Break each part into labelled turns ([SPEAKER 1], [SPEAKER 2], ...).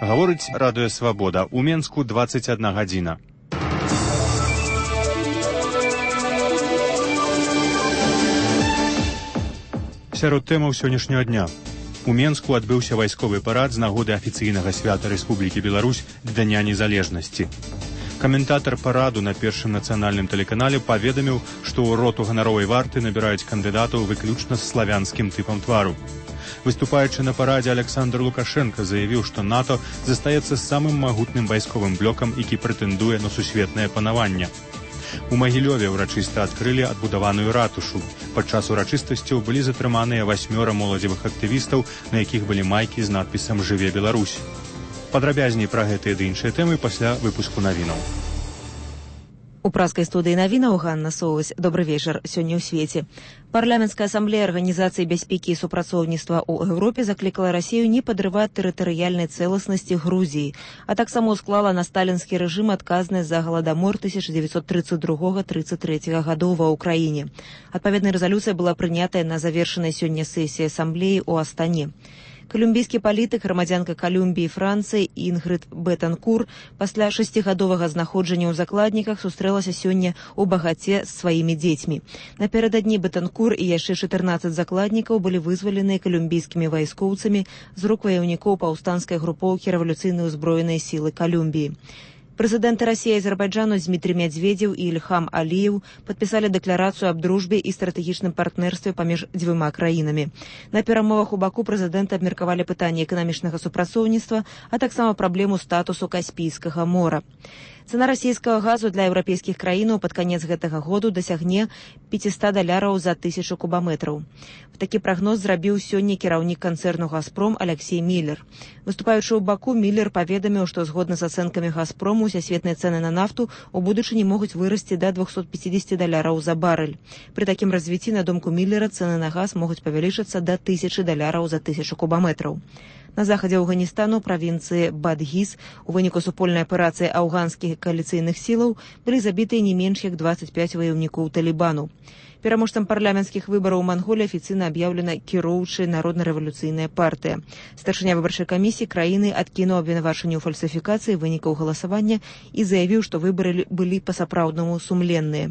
[SPEAKER 1] Гаворыць радыё «Свабода». У Менску 21 гадзіна. Сярод тэмаў сённяшняга дня. У Менску адбыўся вайсковы парад з нагоды афіцыйнага свята Рэспублікі Беларусь Дня незалежнасці. Каментатар параду на першым нацыянальным тэлеканале паведаміў, што ў роту ганаровай варты набіраюць кандыдатаў выключна з славянскім тыпам твару. Выступаючы на парадзе, Александр Лукашенко заявіў, што НАТО застаецца самым магутным вайсковым блокам, які прэтэндуе на сусветнае панаванне. У Магілёве ўрачыста адкрылі адбудаваную ратушу. Падчас урачыстасцяў былі затрыманыя 8 моладзевых актывістаў, на якіх былі майкі з надпісам «Жыве Беларусь». Падрабязней пра гэтыя ды іншыя тэмы пасля выпуску навінаў.
[SPEAKER 2] У праскай студыі навінаў Ганна Соўвась. Добры вечар. Сёння ў свеце. Парламенцкая асамблея Арганізацыі бяспекі і супрацоўніцтва ў Еўропе заклікала Расію не падрываць тэрытарыяльнай цэласнасці Грузіі, а таксама склала на сталінскі рэжым адказнасць за галадамор 1932-33 гадоў ва ўкраіне. Адпаведная рэзалюцыя была прынятая на завершанай сёння сесіі асамблеі ў Астане. Калумбійскі палітык, грамадзянка Калумбіі і Францыі Інгрыд Бетанкур пасля 6гадовага знаходжання ў закладніках сустрэлася сёння ў Багаце з сваімі дзецьмі. Напярэдадні Бетанкур і яшчэ 14 закладнікаў былі вызваленыя калумбійскімі вайскоўцамі з рук ваяўнікоў паўстанцкай групоўкі рэвалюцыйнай узброенай сілы Калумбіі. Прэзідэнты Расіі і Азербайджану Дмітрий Медведзеў і Ільхам Аліеў падпісалі дэкларацыю аб дружбе і стратэгічным партнерстве паміж дзвюма краінамі. На перамовах у Баку прэзідэнты абмеркавалі пытанні эканамічнага супрацоўніцтва, а таксама праблему статусу Каспійскага мора. Цана расійскага газу для еўрапейскіх краінаў пад канец гэтага году дасягне $500 за 1000 кубаметраў. Такі прагноз зрабіў сёння кіраўнік канцэрну «Газпром» Алексей Міллер. Выступаючы ў Баку, Міллер паведаміў, што згодна з ацэнкамі «Газпрому» усесветныя цэны на нафту ў будучыні могуць вырасці да $250 за барэль. Пры такім развіцці, на думку Міллера, цэны на газ могуць павялічыцца да $1000 за 1000 кубаметраў. На захадзе Афганістану, правінцыі Бадгіз, у выніку супольнай аперацыі афганскіх кааліцыйных сілаў былі забітыя не менш як 25 ваяўнікоў Талібану. Пераможцам парламенцкіх выбараў у Манголіі афіцыйна аб'яўлена кіроўчая народна-рэвалюцыйная партыя. Старшыня выбарчай камісіі краіны адкінуў абвінавачанне ў фальсіфікацыі вынікаў галасавання і заявіў, што выбары былі па-сапраўднаму сумленныя.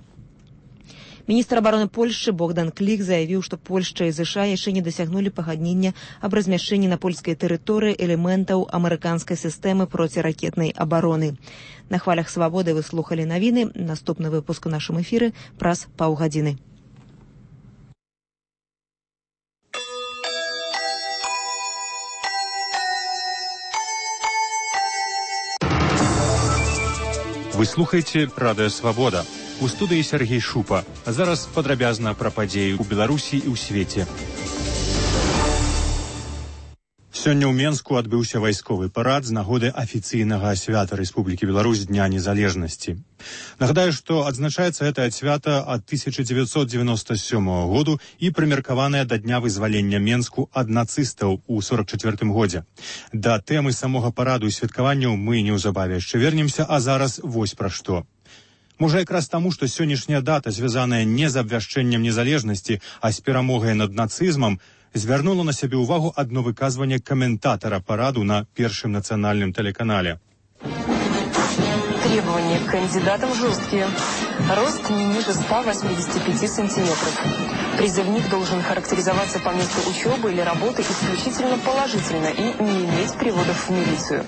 [SPEAKER 2] Міністр абароны Польшчы Богдан Клік заявіў, што Польшча і ЗША яшчэ не дасягнулі пагаднення аб размяшчэнні на польскай тэрыторыі элементаў амерыканскай сістэмы проціракетнай абароны. На хвалях «Свабоды» вы слухалі навіны. Наступны выпуск у нашым эфіры праз паўгадзіны.
[SPEAKER 1] Вы слухаеце радыё «Свабода». У студыі Сергей Шупа. А зараз падрабязна пра падзеі ў Беларусі і ў свеце. Сёння ў Менску адбыўся вайсковы парад з нагоды афіцыйнага свята Рэспублікі Беларусь Дня незалежнасці. Нагадаю, што адзначаецца гэтае свята ад 1997 году і прымеркаванае да дня вызвалення Менску ад нацыстаў у 1944 годзе. Да тэмы самога параду і святкаванняў мы неўзабаве яшчэ вернемся, а зараз вось пра што. Можа, якраз таму, што сённяшняя дата, звязаная не з абвяшчэннем незалежнасці, а з перамогай над нацызмам, звярнула на сябе ўвагу адно выказванне каментатара параду на першым нацыянальным тэлеканале.
[SPEAKER 3] Требования к кандидатам жесткие. Рост не ниже 185 сантиметров. Призывник должен характеризоваться по месту учебы или работы исключительно положительно и не иметь приводов в милицию.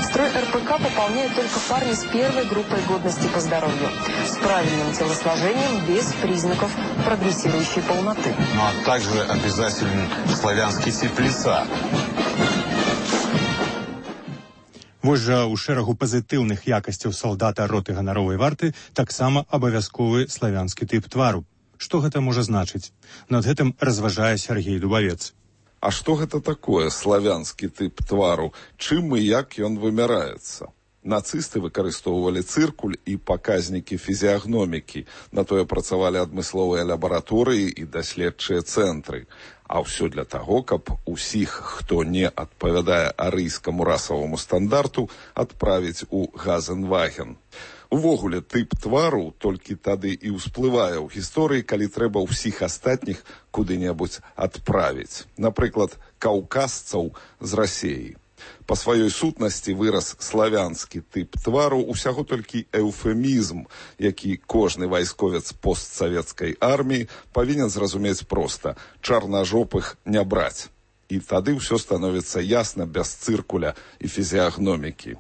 [SPEAKER 3] Строй РПК пополняют только парни с первой группой годности по здоровью, с правильным телосложением, без признаков прогрессирующей полноты.
[SPEAKER 4] Ну а также обязателен славянский тип лица.
[SPEAKER 1] Вось жа ў шэрагу пазітыўных якасцяў салдата роты ганаровай варты таксама абавязковы славянскі тып твару. Што гэта можа значыць? Над гэтым разважае Сергей Дубавец.
[SPEAKER 5] А што гэта такое славянскі тып твару? Чым і як ён вымяраецца? Нацысты выкарыстоўвалі цыркуль і паказнікі фізіягномікі. На тое працавалі адмысловыя лабараторыі і даследчыя цэнтры. А ўсё для таго, каб усіх, хто не адпавядае арыйскаму расаваму стандарту, адправіць у Газенваген. Увогуле, тып твару толькі тады і ўсплывае ў гісторыі, калі трэба ўсіх астатніх куды-небудзь адправіць. Напрыклад, каўказцаў з Расіі. Па сваёй сутнасці выраз славянскі тып твару усяго толькі эўфемізм, які кожны вайсковец постсавецкай арміі павінен зразумець проста: чарнажопых не браць. І тады ўсё становіцца ясна без цыркуля і фізіягномікі.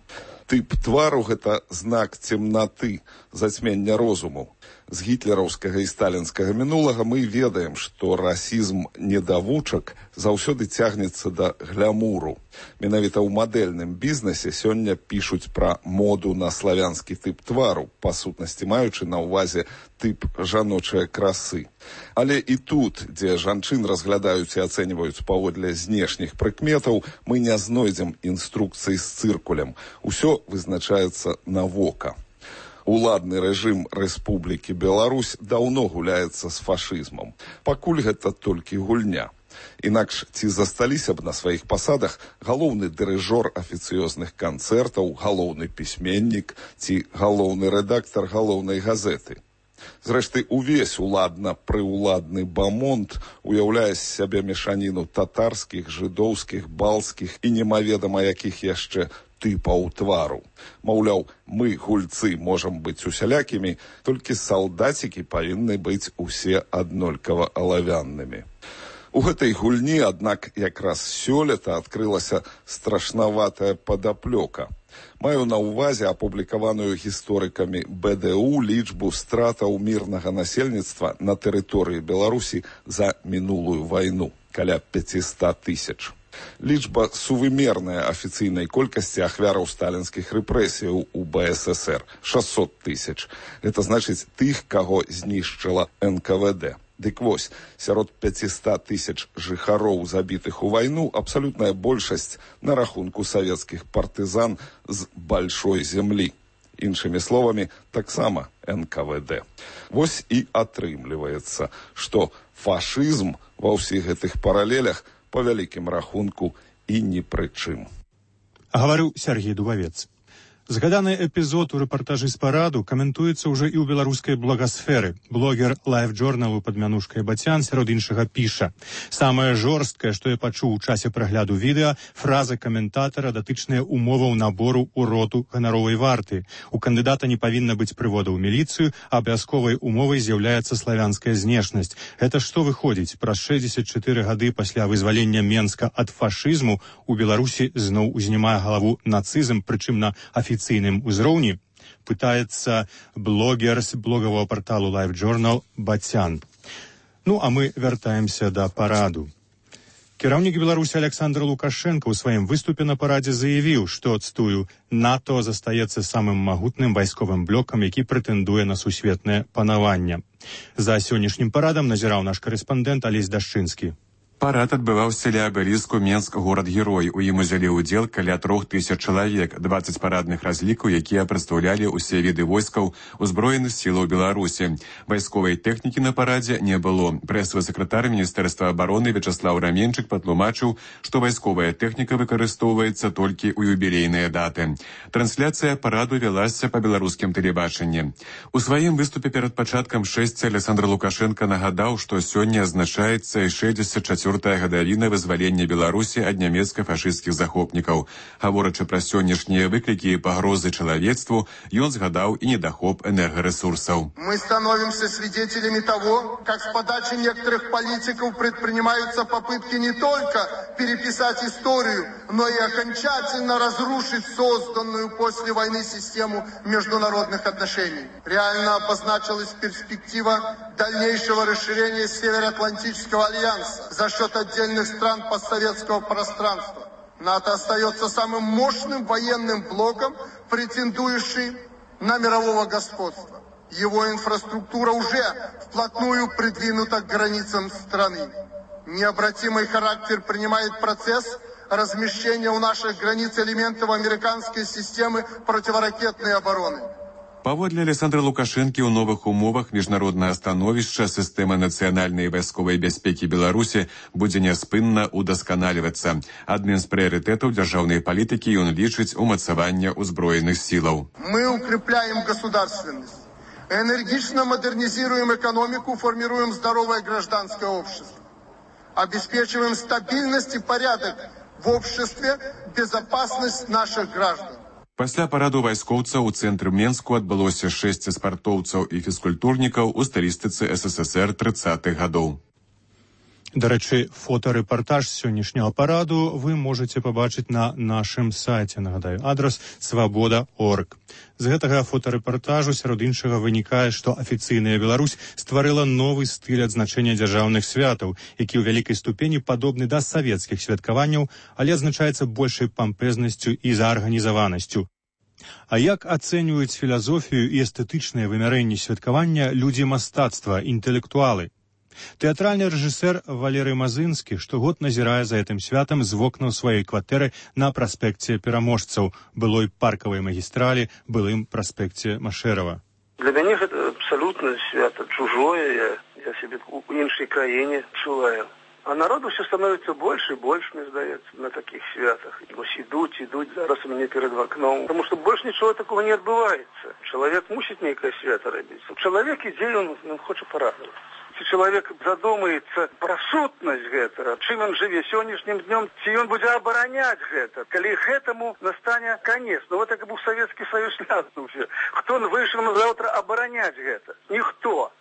[SPEAKER 5] Тып твару – гэта знак цемнаты, зацьмення розуму. З гітлераўскага і сталінскага мінулага мы ведаем, што расізм недавучак заўсёды цягнецца да глямуру. Менавіта ў мадэльным бізнесе сёння пішуць пра моду на славянскі тып твару, па сутнасці маючы на ўвазе тып жаночай красы. Але і тут, дзе жанчын разглядаюць і ацэньваюць паводле знешніх прыкметаў, мы не знойдзем інструкцый з цыркулем. Усё вызначаецца на вока. Уладны рэжым Рэспублікі Беларусь даўно гуляецца з фашызмам. Пакуль гэта толькі гульня. Інакш ці засталіся б на сваіх пасадах галоўны дырыжор афіцыёзных канцэртаў, галоўны пісьменнік ці галоўны рэдактар галоўнай газеты. Зрэшты, увесь уладна-прыўладны бамонт уяўляе з сябе мешаніну татарскіх, жыдоўскіх, балскіх і немаведама якіх яшчэ тыпаў твару. Маўляў, мы, гульцы, можам быць усялякімі, толькі салдацікі павінны быць усе аднолькава алавяннымі. У гэтай гульні, аднак, якраз сёлета адкрылася страшнаватая падаплёка. Маю на ўвазе апублікаваную гісторыкамі БДУ лічбу стратаў мірнага насельніцтва на тэрыторыі Беларусі за мінулую вайну, каля 500 000. Лічба сувымерная афіцыйнай колькасці ахвяраў сталінскіх рэпрэсіяў у БССР – 600 000. Гэта значыць тых, каго знішчыла НКВД. Дык вось, сярод 500 000 жыхароў, забітых у вайну, абсалютная большасць на рахунку савецкіх партызан з большой землі. Іншымі словамі, таксама НКВД. Вось і атрымліваецца, што фашызм ва ўсіх гэтых паралелях по вялікім рахунку і ні пры чым.
[SPEAKER 1] Гаварыў Сергей Дубавец. Згаданы эпізод у рэпартажы з параду каментуецца ўжо і ў беларускай благасферы. Блогер лайф-джорналу пад мянушкай Бацян сярод іншага піша: самае жорсткае, што я пачуў у часе прагляду відэа, фраза каментатара датычная умоваў набору ў роту ганаровай варты. У кандыдата не павінна быць прывода ў міліцыю, абавязковай умовай з'яўляецца славянская знешнасць. Гэта што выходзіць? Праз 64 гады пасля вызвалення Менска ад фашызму у Беларусі зноў узнімае галаву нацызм, прычым на афіцыйным узроўні, пытаецца блогер з блогавого парталу Life Journal Бацян. Ну, а мы вяртаемся да параду. Кіраўнік Беларусі Александр Лукашенко ў сваім выступе на парадзе заявіў, што, цтую, НАТО застаецца самым магутным вайсковым блокам, які прэтэндуе на сусветнае панаванне. За сённяшнім парадам назіраў наш карэспандэнт Алесь Дашчынскі.
[SPEAKER 6] Парад адбываўся ля абеліску Менск горад-герой. У ім узялі ўдзел каля 3000 чалавек, 20 парадных разлікаў, якія прадстаўлялі ўсе віды войскаў узброеных сілаў Беларусі. Вайсковай тэхнікі на парадзе не было. Прэсавы сакратар Міністэрства абароны Вячаслаў Раменчык патлумачыў, што вайсковая тэхніка выкарыстоўваецца толькі ў юбілейныя даты. Трансляцыя параду вялася па беларускім тэлебачанні. У сваім выступе перад пачаткам шэсця Александр Лукашенко нагадаў, што сёння азначаецца і 64-я гадавіна вызвалення Беларусі ад нямецка-фашысцкіх захопнікаў. Гаворачы пра сённяшнія выклікі і пагрозы чалавецтву, ён згадаў і недахоп энергарэсурсаў.
[SPEAKER 7] Мы становимся свидетелями того, как с подачи некоторых политиков предпринимаются попытки не только переписать историю, но и окончательно разрушить созданную после войны систему международных отношений. Реально обозначилась перспектива дальнейшего расширения Североатлантического альянса за счет отдельных стран постсоветского пространства. НАТО остается самым мощным военным блоком, претендующий на мирового господства. Его инфраструктура уже вплотную придвинута к границам страны. Необратимый характер принимает процесс размещения у наших границ элементов американской системы противоракетной обороны.
[SPEAKER 6] Паводле Александра Лукашэнкі ў новых умовах міжнароднае становішча сістэма нацыянальнай і вайсковай бяспекі Беларусі будзе няспынна удасканальвацца. Адным з прыярытэтаў дзяржаўнай палітыкі ён лічыць умацаванне ўзброеных сілаў.
[SPEAKER 7] Мы укрепляем государственность, энергично модернизируем экономику, формируем здоровое гражданское общество, обеспечиваем стабильность и порядок в обществе безопасность наших граждан.
[SPEAKER 6] Пасля параду вайскоўцаў у цэнтры Менску адбылося 6 спартоўцаў і фізкультурнікаў у стылістыцы СССР 30-х гадоў.
[SPEAKER 1] Дарэчы, фотарэпартаж сённяшняга параду вы можаце пабачыць на нашым сайце. Нагадаю, адрас свабода.орг. З гэтага фотарэпартажу, сярод іншага, вынікае, што афіцыйная Беларусь стварыла новы стыль адзначэння дзяржаўных святаў, які ў вялікай ступені падобны да савецкіх святкаванняў, але адзначаецца большай пампезнасцю і заарганізаванасцю. А як ацэньваюць філазофію і эстэтычнае вымярэнне святкавання людзі мастацтва, інтэлектуалы? Тэатральны рэжысэр Валерый Мазынскі штогод назірае за гэтым святам з вокнаў сваёй кватэры на праспекце Пераможцаў, былой паркавай магістралі, былым праспекце Машэрава.
[SPEAKER 8] Для мяне гэта абсалютна свята чужое, я сябе ў іншай краіне чуваю. А народу все становится больше и больше, мне здаецца, на таких святах. Вось идут зараз у меня перед окном. Потому что больше ничего такого не отбывается. Человек мусит некое свято робить. Человек ідзе, он хочет порадоваться. Если человек задумается про сутнасць гэтага, чым он жыве сённяшнім днем, ці ён будзе абараняць гэта, калі гэтаму настане конец. Ну вот так був Советский Союз ляснуўся. Хто вышел на завтра абараняць гэта? Ніхто.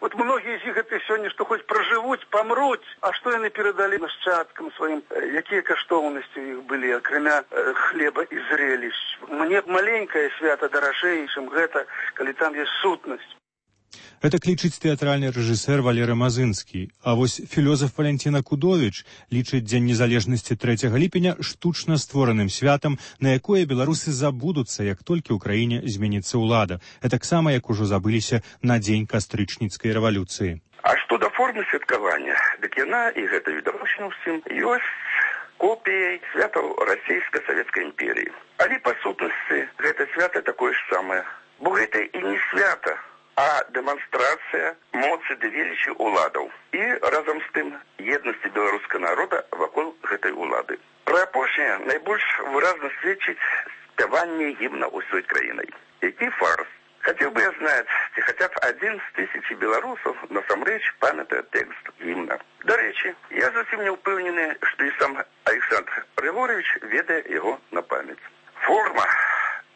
[SPEAKER 8] Вот многие из них это сегодня, что хоть проживут, помрут, а что яны передали нашчадкам своим, какие каштоўнасці у них были, акрамя хлеба и зрелищ. Мне маленькое свято даражэй, чым гэта, калі там есть сутнасць.
[SPEAKER 1] Гэта клічыць тэатральны рэжысэр Валерый Мазынскі. А вось філёзаф Валянціна Кудовіч лічыць Дзень незалежнасці 3 ліпеня штучна створаным святам, на якое беларусы забудуцца, як толькі ў краіне зменіцца ўлада. Гэтаксама, як ужо забыліся на дзень кастрычніцкай рэвалюцыі.
[SPEAKER 9] А што да формы святкавання, дык яна, і гэта відавочна ўсім, ёсць копіяй святаў расійска-савецкай імперіі. Але па сутнасці гэта свята такое ж самае. Бо гэта і не свята, а дэманстрацыя моцы ды велічы ўладаў і разам з тым еднасці беларускага народа вакол гэтай улады. Пра апошняе найбольш выразна сведчыць спяванне гімна ўсёй краінай. Які фарс. Хотел бы я знать, ці хотя б 1 з 1000 беларусаў насамрэч памятае тэкст гімна. Дарэчы, я зусім не ўпэўнены, што і сам Александр Григорьевич ведае яго на памяць. Форма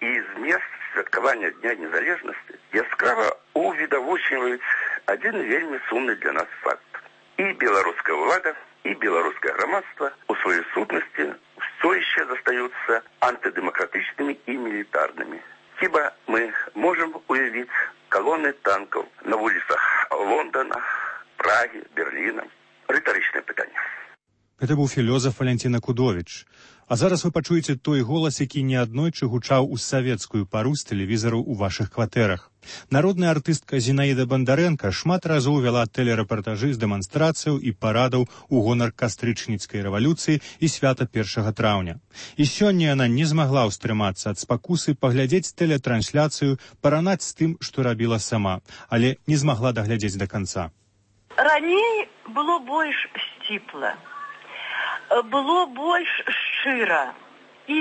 [SPEAKER 9] і змест святкавання Дня незалежнасці яскрава увідавочваюць адзін вельмі сумны для нас факт. І беларуская ўлада, і беларускае грамадства у сваёй сутнасці ўсё яшчэ застаюцца антыдэмакратычнымі і мілітарнымі. Хіба мы можам уявіць калоны танкаў на вуліцах Лондона, Прагі, Берліна? Рытарычнае пытанне.
[SPEAKER 1] Гэта быў філёзаф Валянціна Кудовіч. А зараз вы пачуеце той голас, які неаднойчы гучаў у савецкую пару з тэлевізару ў вашых кватэрах. Народная артыстка Зінаіда Бандарэнка шмат разоў вяла тэлерэпартажы з дэманстрацыяў і парадаў у гонар кастрычніцкай рэвалюцыі і свята 1 траўня. І сёння яна не змагла ўстрымацца ад спакусы паглядзець тэлетрансляцыю, паранаць з тым, што рабіла сама, але не змагла даглядзець да канца.
[SPEAKER 10] Раней было больш сціпла. Было больш шчыра. І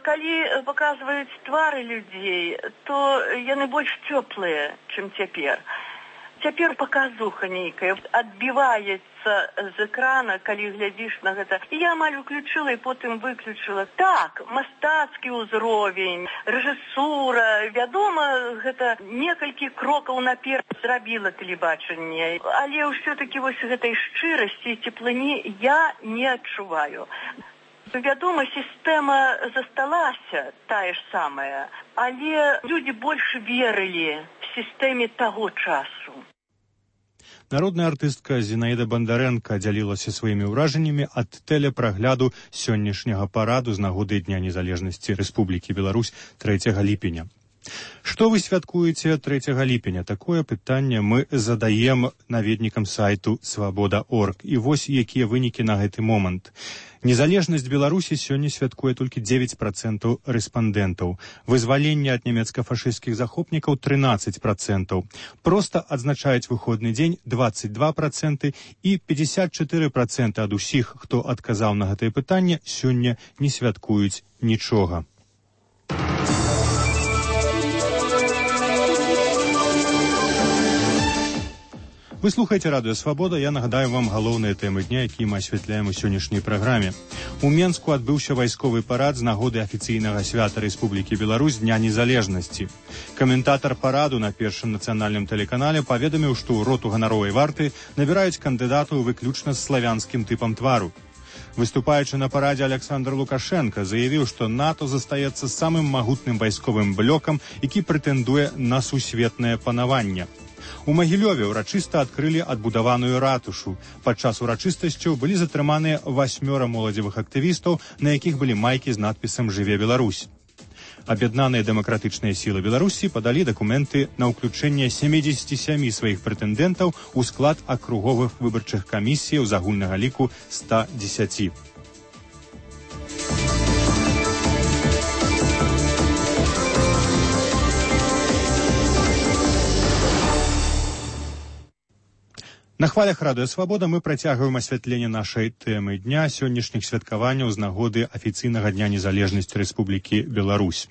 [SPEAKER 10] калі паказваюць твары людзей, то яны больш цёплыя, чым цяпер. Цяпер паказуха нейкая адбіваецца з экрана, калі глядзіш на гэта. І я амаль уключыла і потым выключыла. Так, мастацкі ўзровень, рэжысура, вядома, гэта некалькі крокаў наперад зрабіла тэлебачанне. Але ўсё-такі вось гэтай шчырасці і цеплыні я не адчуваю. Вядома, сістэма засталася, тая ж самая, але людзі больш верылі сістэме таго часу.
[SPEAKER 1] Народная артыстка Зінаіда Бандарэнка дзялілася сваімі ўражаннямі ад тэлепрагляду сённяшняга параду з нагоды Дня незалежнасці Рэспублікі Беларусь 3 ліпеня. Што вы святкуеце 3 ліпеня? Такое пытанне мы задаем наведнікам сайту свабода.орг. І вось якія вынікі на гэты момант. Незалежнасць Беларусі сёння святкуе толькі 9% рэспандэнтаў. Вызваленне ад нямецка-фашысцкіх захопнікаў 13%. Проста адзначаюць выходны дзень 22% і 54% ад усіх, хто адказаў на гэтае пытанне, сёння не святкуюць нічога. Вы слухаеце радыё Свабода. Я нагадаю вам галоўныя тэмы дня, якія мы асвятляем у сённяшняй праграме. У Менску адбыўся вайсковы парад з нагоды афіцыйнага свята Рэспублікі Беларусь Дня незалежнасці. Каментатар параду на першым нацыянальным тэлеканале паведаміў, што ў роту ганаровай варты набіраюць кандыдатаў выключна з славянскім тыпам твару. Выступаючы на парадзе, Александр Лукашенко заявіў, што НАТО застаецца самым магутным вайсковым блокам, які прэтэндуе на сусветнае панаванне. У Магілёве ўрачыста адкрылі адбудаваную ратушу. Падчас урачыстасцяў былі затрыманыя 8 моладзевых актывістаў, на якіх былі майкі з надпісам «Жыве Беларусь». Аб'яднаныя дэмакратычныя сілы Беларусі падалі дакументы на ўключэнне 77 сваіх прэтэндэнтаў у склад акруговых выбарчых камісій з агульнага ліку 110. На хвалях радыё Свабода мы працягваем асвятленне нашай тэмы дня сённяшніх святкаванняў з нагоды афіцыйнага Дня незалежнасці Рэспублікі Беларусь.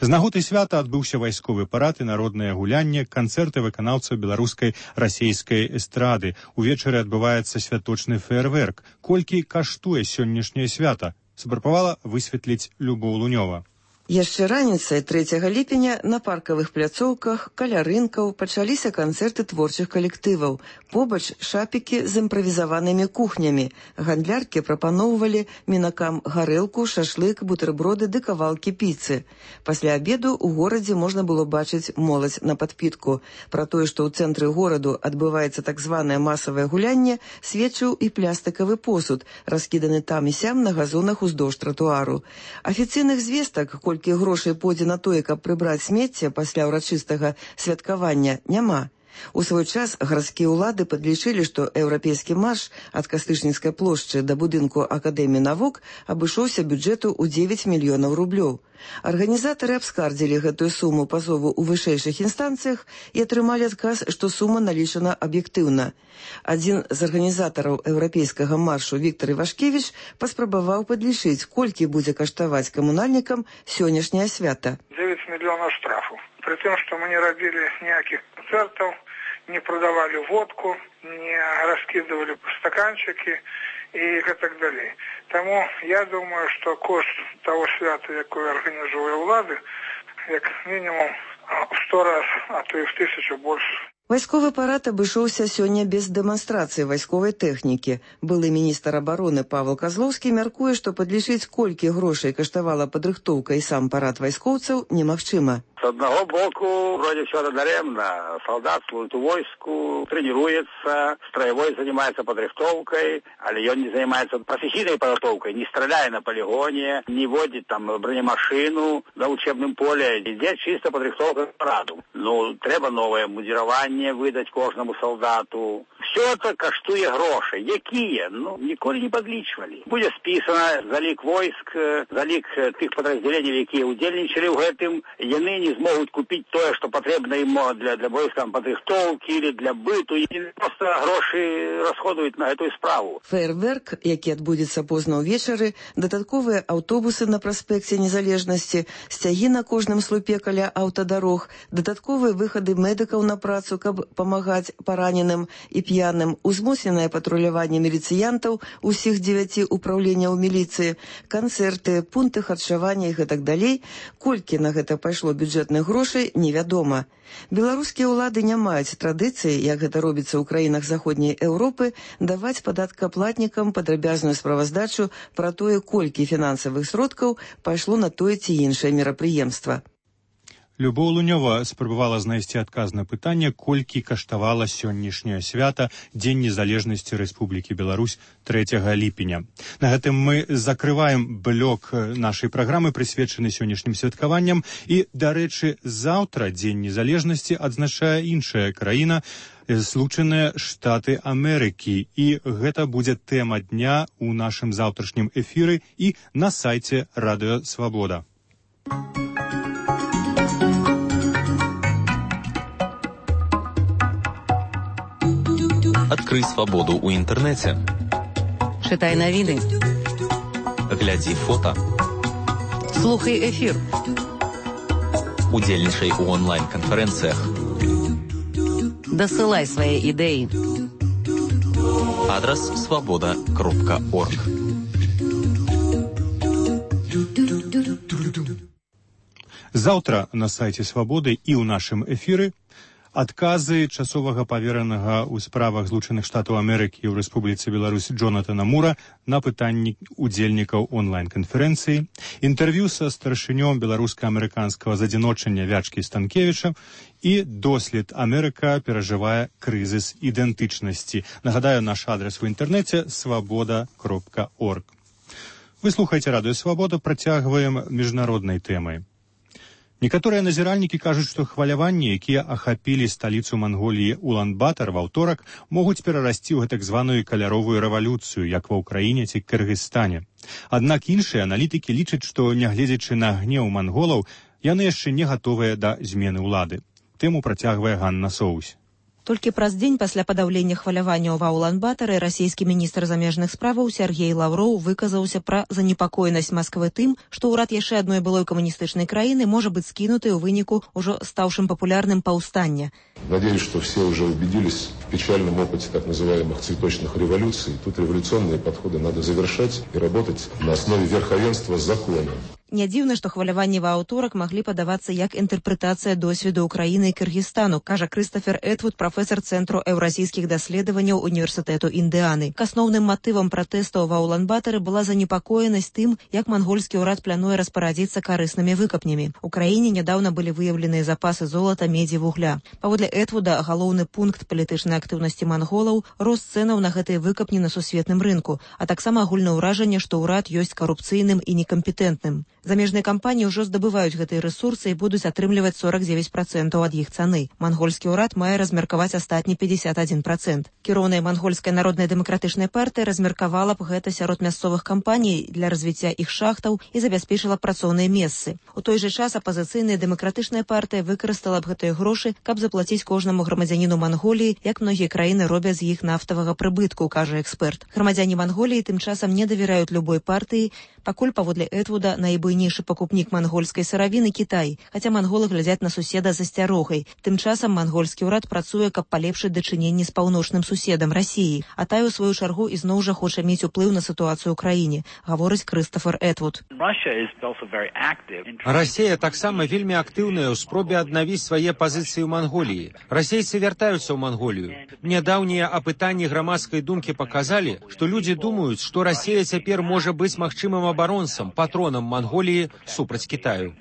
[SPEAKER 1] З нагоды свята адбыўся вайсковы парад і народнае гулянне, канцэрты выканаўцаў беларускай расейскай эстрады. Увечары адбываецца святочны феерверк. Колькі каштуе сённяшняе свята? Спрабавала высветліць Любоў Лунёва.
[SPEAKER 11] Яшчэ раніцай 3 ліпеня на паркавых пляцоўках каля рынкаў пачаліся канцэрты творчых калектываў. Побач шапікі з імправізаванымі кухнямі. Гандляркі прапаноўвалі мінакам гарэлку, шашлык, бутэрброды ды кавалкі піцы. Пасля абеду ў горадзе можна было бачыць моладзь на падпітку. Пра тое, што ў цэнтры гораду адбываецца так званае масавае гулянне, сведчыў і плястыкавы посуд, раскіданы там і сям на газонах уздоўж тратуару. Афіцыйных звестак, колькі грошай пойдзе на тое, каб прыбраць смецце пасля ўрачыстага святкавання, няма. У свой час гарадскія ўлады падлічылі, што еўрапейскі марш ад Кастычніцкай плошчы да будынку Акадэміі навук абышоўся бюджэту ў 9 мільёнаў рублёў. Арганізатары абскардзілі гэтую суму пазову ў вышэйшых інстанцыях і атрымалі адказ, што сума налічана аб'ектыўна. Адзін з арганізатараў еўрапейскага маршу Віктор Івашкевіч паспрабаваў падлічыць, колькі будзе каштаваць камунальнікам сённяшняе свята.
[SPEAKER 12] 9 мільёнаў штрафу. При тым, што мы не рабілі ніякіх канцэртаў, не продавали водку, не раскидывали стаканчики и так далее. Тому я думаю, что кошт того свята, якое организує влады, як минимум в 100 раз, а то и в 1000 больше.
[SPEAKER 11] Вайсковы парад абышоўся сёння без дэманстрацыі вайсковай тэхнікі. Былы міністр абароны Павел Козловскі мяркуе, што падлічыць, колькі грошай каштавала падрыхтоўка і сам парад вайскоўцаў, немагчыма.
[SPEAKER 13] С одного боку, вроде все даремно. Солдат служит в войску, тренируется, строевой занимается подрихтовкой, але он не занимается профессийной подготовкой, не стреляя на полигоне, не водит там бронемашину на учебном поле. Здесь чисто подрихтовка к параду. Ну, треба новое мундирование выдать кожному солдату. Все это коштує грошей. Якие? Ну, ніколи не подлічвали. Буде списано залік войск, залік тих підрозділень, які удельничали в гэтым, яны не змогут купить то, что потребно им для войскам подрихтовки или для быту, и просто гроши расходуют на эту справу.
[SPEAKER 11] Фейерверк, які адбудзецца позна ўвечары, дадатковыя аўтобусы на праспекце Незалежнасці, сцягі на кожным слупе каля аўтадарог, дадатковыя выхады медыкаў на працу, каб памагаць параненым і п'яным, узмоцненае патруляванне міліцыянтаў усіх 9 упраўленняў міліцыі, канцэрты, пункты харчавання і гэтак далей. Колькі на гэта пайшло бюджэтных грошай, невядома. Беларускія ўлады не маюць традыцыі, як гэта робіцца ў краінах заходняй Еўропы, даваць падаткаплатнікам падрабязную справаздачу пра тое, колькі фінансавых сродкаў пайшло на тое ці іншае мерапрыемства.
[SPEAKER 1] Любоў Лунёва спрабавала знайсці адказ на пытанне, колькі каштавала сённяшняе свята Дзень незалежнасці Рэспублікі Беларусь 3 ліпеня. На гэтым мы закрываем блок нашай праграмы, прысвечаны сённяшнім святкаванням, і, дарэчы, заўтра Дзень незалежнасці адзначае іншая краіна, Злучаныя Штаты Амерыкі, і гэта будзе тэма дня ў нашым заўтрашнім эфіры і на сайце Радыё Свабода.
[SPEAKER 14] Адкрый свабоду ў інтэрнэце.
[SPEAKER 2] Чытай навіны.
[SPEAKER 14] Глядзі фота.
[SPEAKER 2] Слухай эфір.
[SPEAKER 14] Удзельнічай у онлайн-канферэнцыях.
[SPEAKER 2] Дасылай свае ідэі.
[SPEAKER 14] Адрес свобода.орг.
[SPEAKER 1] Заўтра на сайце Свабоды і ў нашым эфіры адказы часовага паверанага ў справах Злучаных Штатаў Амерыкі ў Рэспубліцы Беларусь Джонатана Мура на пытанні удзельнікаў онлайн-канферэнцыі, інтэрв'ю са старшынём беларуска-амерыканскага задзіночання Вячкі Станкевіча і дослед «Амерыка перажывае крызіс ідэнтычнасці». Нагадаю, наш адрес у інтэрнэце свабода.орг. Вы слухаеце радыё Свабода, працягваем міжнароднай тэмай. Некаторыя назіральнікі кажуць, што хваляванні, якія ахапілі сталіцу Манголіі Улан-Батар ва ўторак, могуць перарасці ў гэтак званую каляровую рэвалюцыю, як ва Ўкраіне ці Кыргызстане. Аднак іншыя аналітыкі лічаць, што, нягледзячы на гнеў манголаў, яны яшчэ не гатовыя да змены ўлады. Тэму працягвае Ганна Соусь.
[SPEAKER 2] Толькі праз дзень пасля падаўлення хваляванняў ва Улан-Батары расійскі міністр замежных справаў Сергей Лавроў выказаўся пра занепакоенасць Масквы тым, што ўрад яшчэ адной былой камуністычнай краіны можа быць скінуты ў выніку ўжо стаўшым папулярным паўстання.
[SPEAKER 15] Надеюсь, что все уже убедились в печальном опыте так называемых цветочных революций. Тут революционные подходы надо завершать и работать на основе верховенства закона.
[SPEAKER 2] Не дзіўна, што хваляванні ва аўторак маглі падавацца як інтэрпрэтацыя досведу Украіны і Кыргызстану, кажа Крыстафер Этвуд, прафесар Цэнтру еўразійскіх даследаванняў Універсітэту Індыаны. К асноўным матывам пратэстаў ва Улан-Батары была занепакоенасць тым, як мангольскі ўрад плануе распарадзіцца карыснымі выкапнямі. У краіне нядаўна былі выяўленыя запасы золата, медзі, вугля. Паводле Этвуда, галоўны пункт палітычнай актыўнасці манголаў – рост цэнаў на гэтыя выкапні на сусветным рынку, а таксама агульнае ўражанне, што ўрад ёсць карупцыйным і некампетэнтным. Замежныя кампаніі ўжо здабываюць гэтыя рэсурсы і будуць атрымліваць 49% ад іх цаны. Мангольскі ўрад мае размеркаваць астатні 51%. Кіроўная мангольская народная дэмакратычная партыя размеркавала б гэта сярод мясцовых кампаній для развіцця іх шахтаў і забяспечыла працоўныя месцы. У той жа час апазіцыйная дэмакратычная партыя выкарыстала б гэтыя грошы, каб заплаціць кожнаму грамадзяніну Манголіі, як многія краіны робяць з іх нафтавага прыбытку, кажа эксперт. Грамадзяне Манголіі тым часам не давяраюць любой партыі, пакуль паводле Этвуда найбуйнейшы пакупнік мангольскай сыравіны Кітай, хаця манголы глядзяць на суседа з асцярогай. Тым часам мангольскі ўрад працуе, каб палепшыць дачыненні з паўночным суседам Расіі, а тая ў сваю чаргу ізноў жа хоча мець уплыў на сітуацыю ў краіне, гаворыць Крыстафер Этвуд.
[SPEAKER 16] Расія таксама вельмі актыўная ў спробе аднавіць свае пазіцыі ў Манголіі. Расейцы вяртаюцца ў Манголію. Нядаўнія апытанні грамадскай думкі паказалі, што людзі думаюць, што Расія цяпер можа быць магчымым абаронцам, патронам Манголіі супраць Кітаю.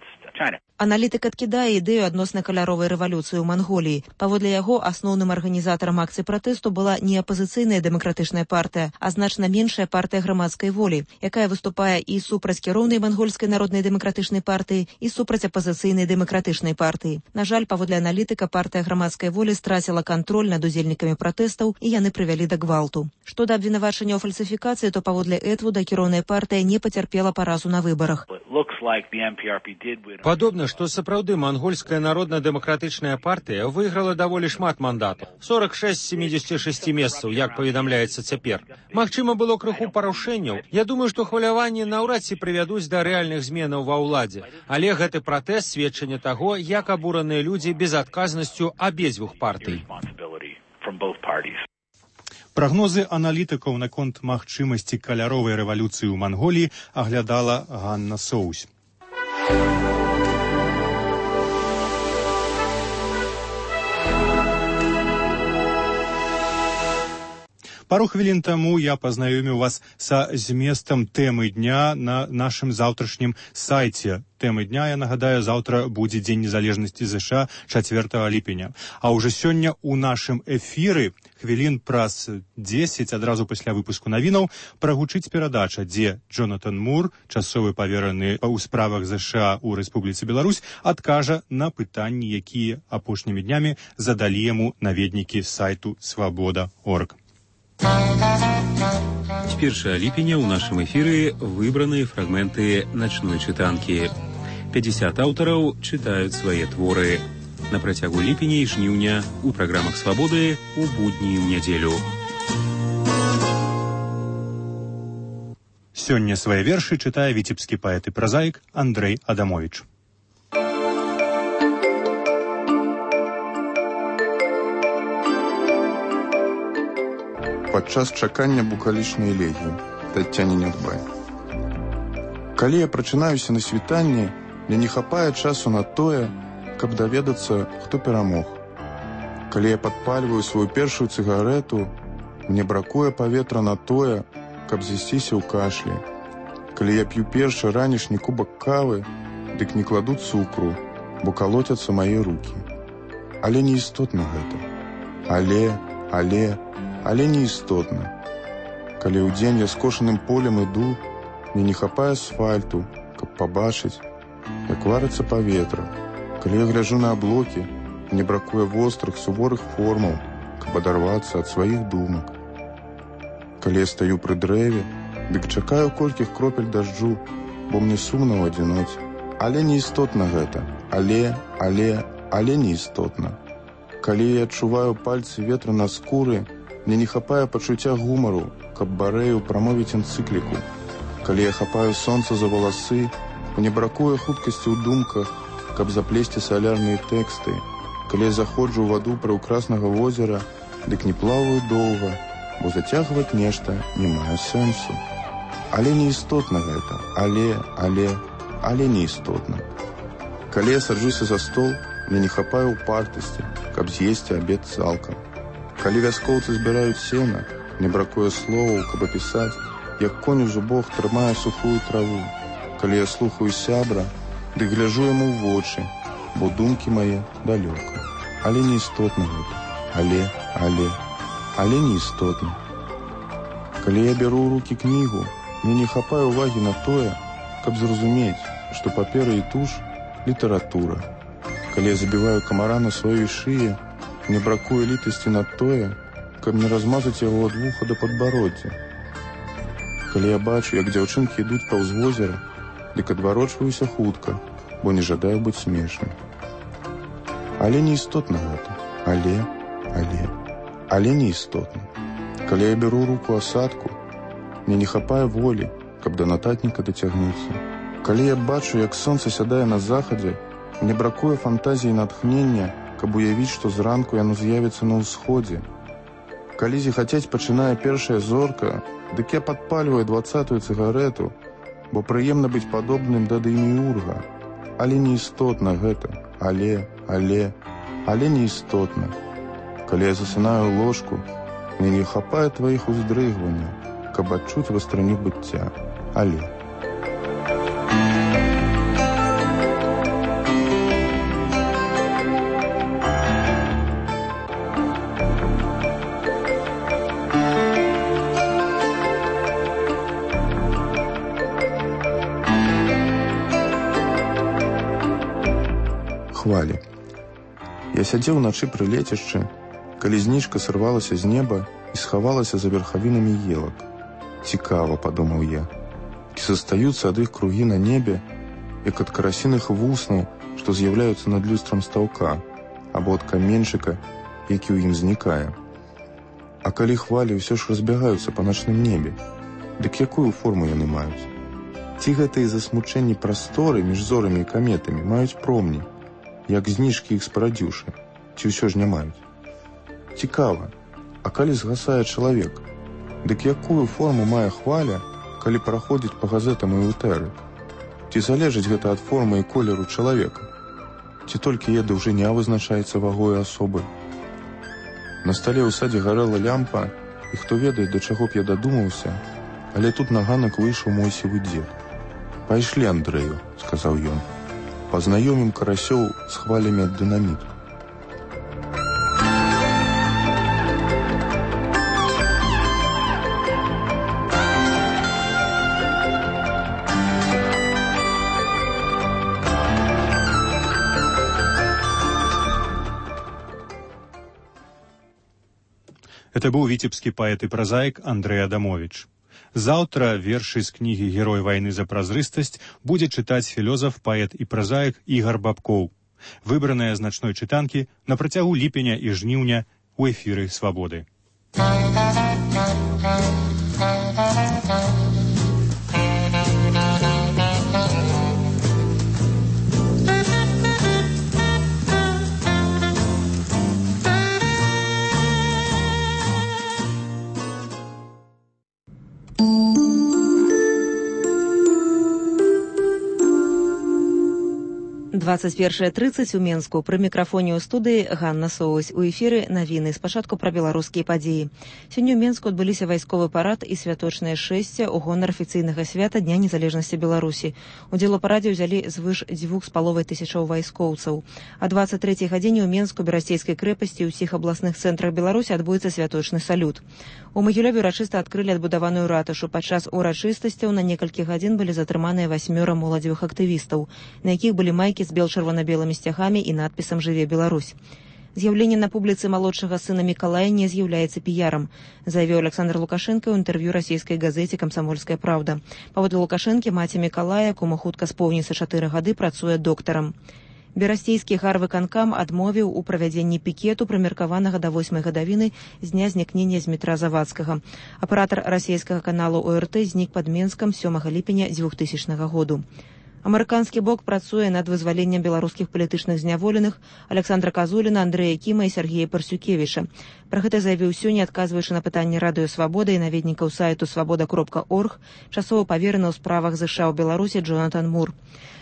[SPEAKER 2] Аналітык адкідае ідэю адносна каляровай рэвалюцыі ў Манголіі. Паводле яго, асноўным арганізатарам акцыі пратэсту была не апазіцыйная дэмакратычная партыя, а значна меншая партыя грамадскай волі, якая выступае і супраць кіроўнай мангольскай народнай дэмакратычнай партыі, і супраць апазіцыйнай дэмакратычнай партыі. На жаль, паводле аналітыка, партыя грамадскай волі страціла кантроль над удзельнікамі пратэстаў, і яны прывялі да гвалту. Што да абвінавачання ў фальсіфікацыі, то паводле Этвуда кіроўная партыя не пацярпела паразу на выбарах.
[SPEAKER 16] Падобна, што сапраўды мангольская народна-дэмакратычная партыя выйграла даволі шмат мандатаў. 46 з 76 месцаў, як паведамляецца цяпер. Магчыма, было крыху парушэнняў. Я думаю, што хваляванні наўрад ці прывядуць да рэальных зменаў ва ўладзе. Але гэты пратэст сведчанне таго, як абураныя людзі безадказнасцю абедзвюх партый.
[SPEAKER 1] Прагнозы аналітыкаў наконт магчымасці каляровай рэвалюцыі ў Манголіі аглядала Ганна Соусь. Пару хвілін таму я пазнаёміў вас са зместам тэмы дня на нашым заўтрашнім сайце. Тэмы дня, я нагадаю, заўтра будзе Дзень незалежнасці ЗША 4 ліпеня. А ўжо сёння ў нашым эфіры хвілін праз 10, адразу пасля выпуску навінаў, прагучыць перадача, дзе Джонатан Мур, часовы павераны ў справах ЗША ў Рэспубліцы Беларусь, адкажа на пытанні, якія апошнімі днямі задалі яму наведнікі сайту свабода.орг.
[SPEAKER 17] С 1 ліпеня ў нашым эфіры выбраныя фрагменты начной чытанкі. 50 аўтараў чытаюць свае творы. На працягу ліпеня і жніўня у праграмах «Свабоды» у будні і ў нядзелю.
[SPEAKER 1] Сёння свае вершы чытае віцебскі паэт і празаік Андрэй Адамовіч.
[SPEAKER 18] падчас чакання букалічнай элегіі Таццяне Нядбай. Калі я прачынаюся на світанні, мне не хапае часу на тое, каб даведацца, хто перамог. Калі я падпальваю сваю першую цыгарэту, мне бракуе паветра на тое, каб з'ясціся ў кашлі. Калі я п'ю першы ранішні кубак кавы, дык не кладу цукру, бо калоцяцца мае рукі. Але не істотна гэта. Але не істотна. Калі ў дзень я скошаным полем іду, мне не хапае асфальту, каб пабачыць, як варыцца паветра. Калі я гляджу на аблокі, мне бракуе вострых, суворых формаў, каб адарвацца ад сваіх думак. Калі я стаю пры дрэве, дык чакаю колькіх кропель дажджу, бо мне сумна ў адзіноце. Але не істотна гэта. Але не істотна. Калі я адчуваю пальцы ветра на скуры, мне не хапае пачуцця гумару, каб барэю прамовіць энцыкліку. Калі я хапаю сонца за валасы, мне бракуе хуткасці ў думках, каб заплесці салярныя тэксты. Калі я заходжу ў ваду прыўкраснага возера, дык не плаваю доўга, бо зацягваць нешта не мае сэнсу. Але не істотна гэта. Але не істотна. Калі я саджуся за стол, мне не хапае упартасці, каб з'есці абед цалкам. Калі вяскоўцы збіраюць сена, мне бракуе словаў, каб апісаць, як конь у зубах трымае сухую траву. Калі я слухаю сябра, дык гляджу яму ў вочы, бо думкі мае далёка. Але не істотна гэта. Але не істотна. Калі я бяру ў рукі кнігу, мне не хапае ўвагі на тое, каб зразумець, што папера і туш – літаратура. Калі я забіваю камара на сваёй шыі, мне бракуе літасці на тое, каб не размазаць яго ад вуха да падбароддзя. Калі я бачу, як дзяўчынкі ідуць паўз возера, дык адварочваюся хутка, бо не жадаю быць смешным. Але не істотна гэта. Але не істотна. Калі я беру руку асадку, мне не хапае волі, каб да нататніка дацягнуцца. Калі я бачу, як сонца сядае на захадзе, мне бракуе фантазіі і натхнення, каб уявіць, што зранку яно з'явіцца на ўсходзе. Калі зіхацець пачынае першая зорка, дык я падпальваю 20-ю цыгарэту, бо прыемна быць падобным да Дэміурга. Але не істотна гэта. Але не істотна. Калі я засынаю ў ложку, мне не хапае тваіх уздрыгванняў, каб адчуць вастраню быцця. Але. Хвалі. Я сядзеў уначы пры лецішчы, калі зніжка сырвалася з неба і схавалася за верхавінамі елак. Цікава, падумаў я, ці застаюцца ад іх кругі на небе, як ад карасіных вуснаў, што з'яўляюцца над люстрам стаўка, або ад каменьчыка, які ў ім знікае. А калі хвалі ўсё ж разбягаюцца па начным небе, дык якую форму яны маюць? Ці гэтыя засмучэнні прасторы між зорамі і каметамі маюць промні, як зніжкі іх спарадзіўшы, ці ўсё ж не маюць? Цікава, а калі згасае чалавек, дык якую форму мае хваля, калі праходзіць па газетам і ўтэры? Ці залежыць гэта ад формы і колеру чалавека? Ці толькі яе даўжыня вызначаецца вагой асобы? На стале ў садзе гарэла лямпа, і хто ведае, да чаго б я дадумаўся, але тут на ганак выйшаў мой сівы дзед. «Пайшлі, Андрэю», – сказаў ён. «Пазнаёмім карасёў з хвалямі ад дынаміту».
[SPEAKER 1] Это быў віцебскі паэт і празаік Андрэй Адамовіч. Заўтра вершы з кнігі «Герой вайны за празрыстасць» будзе чытаць філёзаф, паэт і празаік Ігар Бабкоў. Выбраныя з начной чытанкі на працягу ліпеня і жніўня ў эфіры «Свабоды».
[SPEAKER 2] 21:30 у Менску. Пры мікрафоне ў студыі Ганна Соусь. У эфіры навіны. Спачатку пра беларускія падзеі. Сёння ў Менску адбыліся вайсковы парад і святочнае шэсце ў гонар афіцыйнага свята Дня незалежнасці Беларусі. Удзел у парадзе ўзялі звыш 2,5 вайскоўцаў. А 23 гадзіне ў Менску, Берасцейскай крэпасці і ўсіх абласных цэнтрах Беларусі адбудзецца святочны салют. У Магілёве урачыста адкрылі адбудаваную ратушу. Падчас урачыстасцяў на некалькі гадзін былі затрыманыя 8 моладзевых актывістаў, на якіх былі майкі з бел-чырвона-белымі сцягамі і надпісам «Жыве Беларусь». З'яўленне на публіцы малодшага сына Мікалая не з'яўляецца піярам, заявіў Александр Лукашенко ў інтэрв'ю расійскай газеце «Камсамольская правда». Паводле Лукашэнкі, маці Мікалая, кому хутка споўніцца 4 гады, працуе доктарам. Берасцейскі гарвыканкам адмовіў у правядзенні пікету, прымеркаванага да 8 гадавіны з дня знікнення з метра Завадскага. Аператар расійскага каналу ОРТ знік пад Менскам 7 ліпеня 2000 году. Амерыканскі бок працуе над вызваленнем беларускіх палітычных зняволеных Александра Казуліна, Андрэя Кіма і Сергея Парсюкевіча. Пра гэта заявіў сёння, адказваючы на пытанні радыё «Свабода» і наведнікаў сайту «Свабода.орг», часова павераны ў справах ЗША ў Беларусі Джонатан Мур.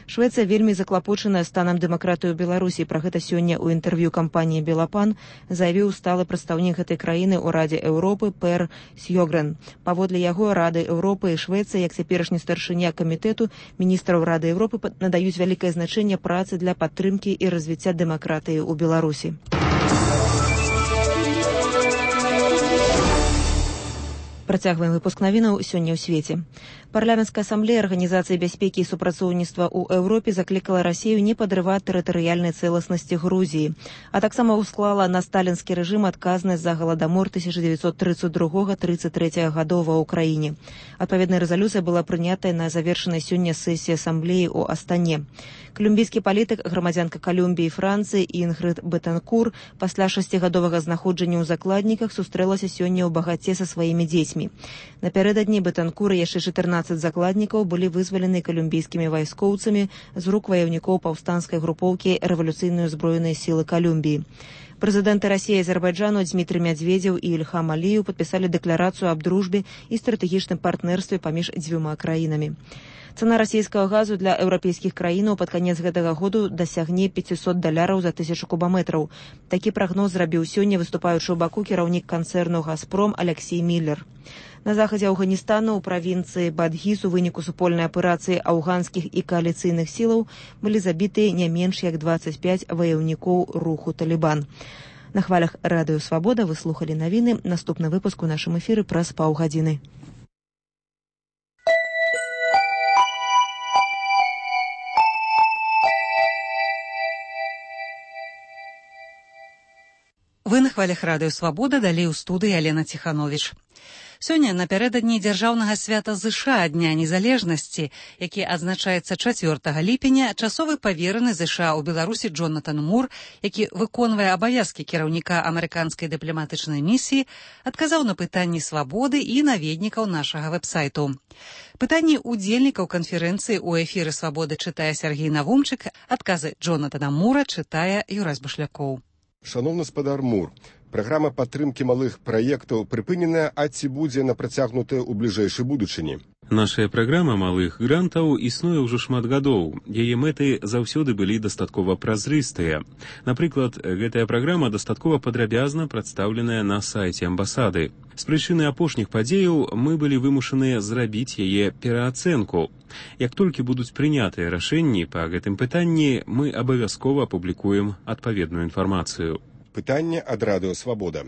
[SPEAKER 2] Швецыя вельмі заклапочаная станам дэмакратыі ў Беларусі. Пра гэта сёння ў інтэрв'ю кампаніі «Белапан» заявіў сталы прадстаўнік гэтай краіны ў Радзе Еўропы Пер Сьёгрен. Паводле яго, Рады Еўропы і Швецыя, як цяперашні старшыня камітэту міністраў Рады Еўропы, надаюць вялікае значэнне працы для падтрымкі і развіцця дэмакратыі ў Беларусі. Працягваем выпуск навінаў сёння ў свеце. Парламенцкая асамблея Арганізацыі бяспекі і супрацоўніцтва ў Еўропе заклікала Расію не падрываць тэрытарыяльнай цэласнасці Грузіі, а таксама ўсклала на сталінскі рэжым адказнасць за галадамор 1932-33 гадоў ва ўкраіне. Адпаведная рэзалюцыя была прынятая на завершанай сёння сесіі асамблеі ў Астане. Колумбійскі палітык, грамадзянка Колумбіі і Францыі Інгрид Бетанкур пасля 6гадовага знаходжання ў закладніках сустрэлася сёння ў багаце са сваімі дзецьмі. Напярэдадні Бетанкур і яшчэ 14 закладнікаў былі вызвалены колумбійскімі вайскоўцамі з рук ваяўнікоў паўстанцкай групоўкі рэвалюцыйныя ўзброеныя сілы Колумбіі. Прэзідэнты Расіі і Азербайджану Дмітрый Мядзведзеў і Ільхам Аліеў падпісалі дэкларацыю аб дружбе і стратэгічным партнерстве паміж дзвюма краінамі. Цана расійскага газу для еўрапейскіх краінаў пад канец гэтага году дасягне $500 за 1000 кубаметраў. Такі прагноз зрабіў сёння выступаючы ў Баку кіраўнік канцэрну «Газпром» Алексей Міллер. На захадзе Афганістану ў правінцыі Бадгіс у выніку супольнай аперацыі афганскіх і кааліцыйных сілаў былі забітыя не менш як 25 ваяўнікоў руху «Талібан». На хвалях радыё «Свабода» вы слухалі навіны. Наступны выпуск у нашым эфіры праз паўгадзіны.
[SPEAKER 19] Вы на хвалях радыё «Свабода», далей у студыі Алена Ціхановіч. Сёння напярэдадні дзяржаўнага свята ЗША Дня незалежнасці, які адзначаецца 4 ліпеня, часовы павераны ЗША ў Беларусі Джонатан Мур, які выконвае абавязкі кіраўніка амерыканскай дыпламатычнай місіі, адказаў на пытанні «Свабоды» і наведнікаў нашага вэб-сайту. Пытанні удзельнікаў канферэнцыі ў эфіры «Свабоды» чытае Сергей Навумчык, адказы Джонатана Мура чытае Юрась Башлякоў.
[SPEAKER 20] Шановны спадар Мур, праграма падтрымкі малых праектаў прыпыненая, а ці будзе напрацягнутая ў бліжэйшай будучыні?
[SPEAKER 17] Нашая праграма малых грантаў існуе ўжо шмат гадоў. Яе мэты заўсёды былі дастаткова празрыстыя. Напрыклад, гэтая праграма дастаткова падрабязна прадстаўленая на сайце амбасады. З прычыны апошніх падзеяў мы былі вымушаныя зрабіць яе пераацэнку. Як толькі будуць прынятыя рашэнні па гэтым пытанні, мы абавязкова апублікуем адпаведную інфармацыю.
[SPEAKER 20] Пытанне ад радыё «Свабода».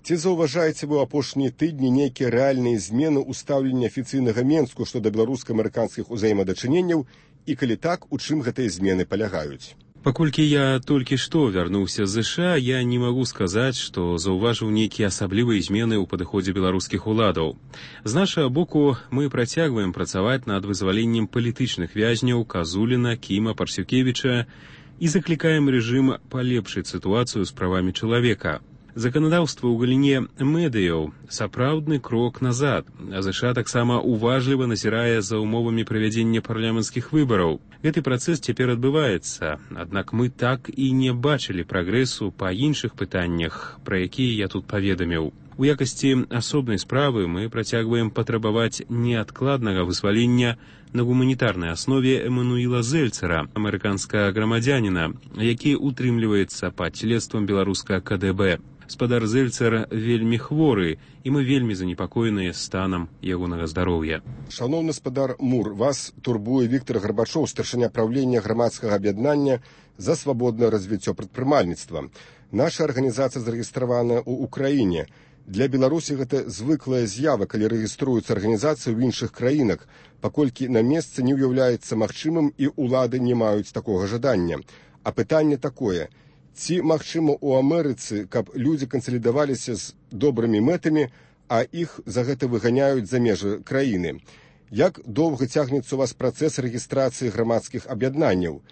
[SPEAKER 20] Ці заўважаеце вы ў апошнія тыдні нейкія рэальныя змены ў стаўленні афіцыйнага Менску што да беларуска-амерыканскіх узаемадачыненняў і, калі так, у чым гэтыя змены палягаюць?
[SPEAKER 17] Паколькі я толькі што вярнуўся з ЗША, я не магу сказаць, што заўважыў нейкія асаблівыя змены ў падыходзе беларускіх уладаў. З нашага боку мы працягваем працаваць над вызваленнем палітычных вязняў Казуліна, Кіма, Парсюкевіча і заклікаем рэжым палепшыць сітуацыю з правамі чалавека. Заканадаўства ў галіне медыяў сапраўдны крок назад, а ЗША таксама уважліва назірае за умовамі правядзення парламенцкіх выбараў. Гэты працэс цяпер адбываецца, аднак мы так і не бачылі прагрэсу па іншых пытаннях, пра якія я тут паведаміў. У якасці асобнай справы мы працягваем патрабаваць неадкладнага вызвалення на гуманітарнай аснове Эммануіла Зельцера, амерыканскага грамадзяніна, які утрымліваецца пад следствам беларускага КДБ. Спадар Зельцер вельмі хворы, і мы вельмі занепакоеныя станам ягонага здароўя.
[SPEAKER 20] Шановны спадар Мур, вас турбуе Віктор Гарбачоў, старшыня правлення грамадскага аб'яднання за свабоднае развіццё прадпрымальніцтва. Наша арганізацыя зарэгістраваная ў Украіне. Для Беларусі гэта звыклая з'ява, калі рэгіструюцца арганізацыі ў іншых краінах, паколькі на месцы не ўяўляецца магчымым і ўлады не маюць такога жадання. А пытанне такое: ці магчыма ў Амерыцы, каб людзі кансалідаваліся з добрымі мэтамі, а іх за гэта выганяюць за межы краіны? Як доўга цягнецца у вас працэс рэгістрацыі грамадскіх аб'яднанняў?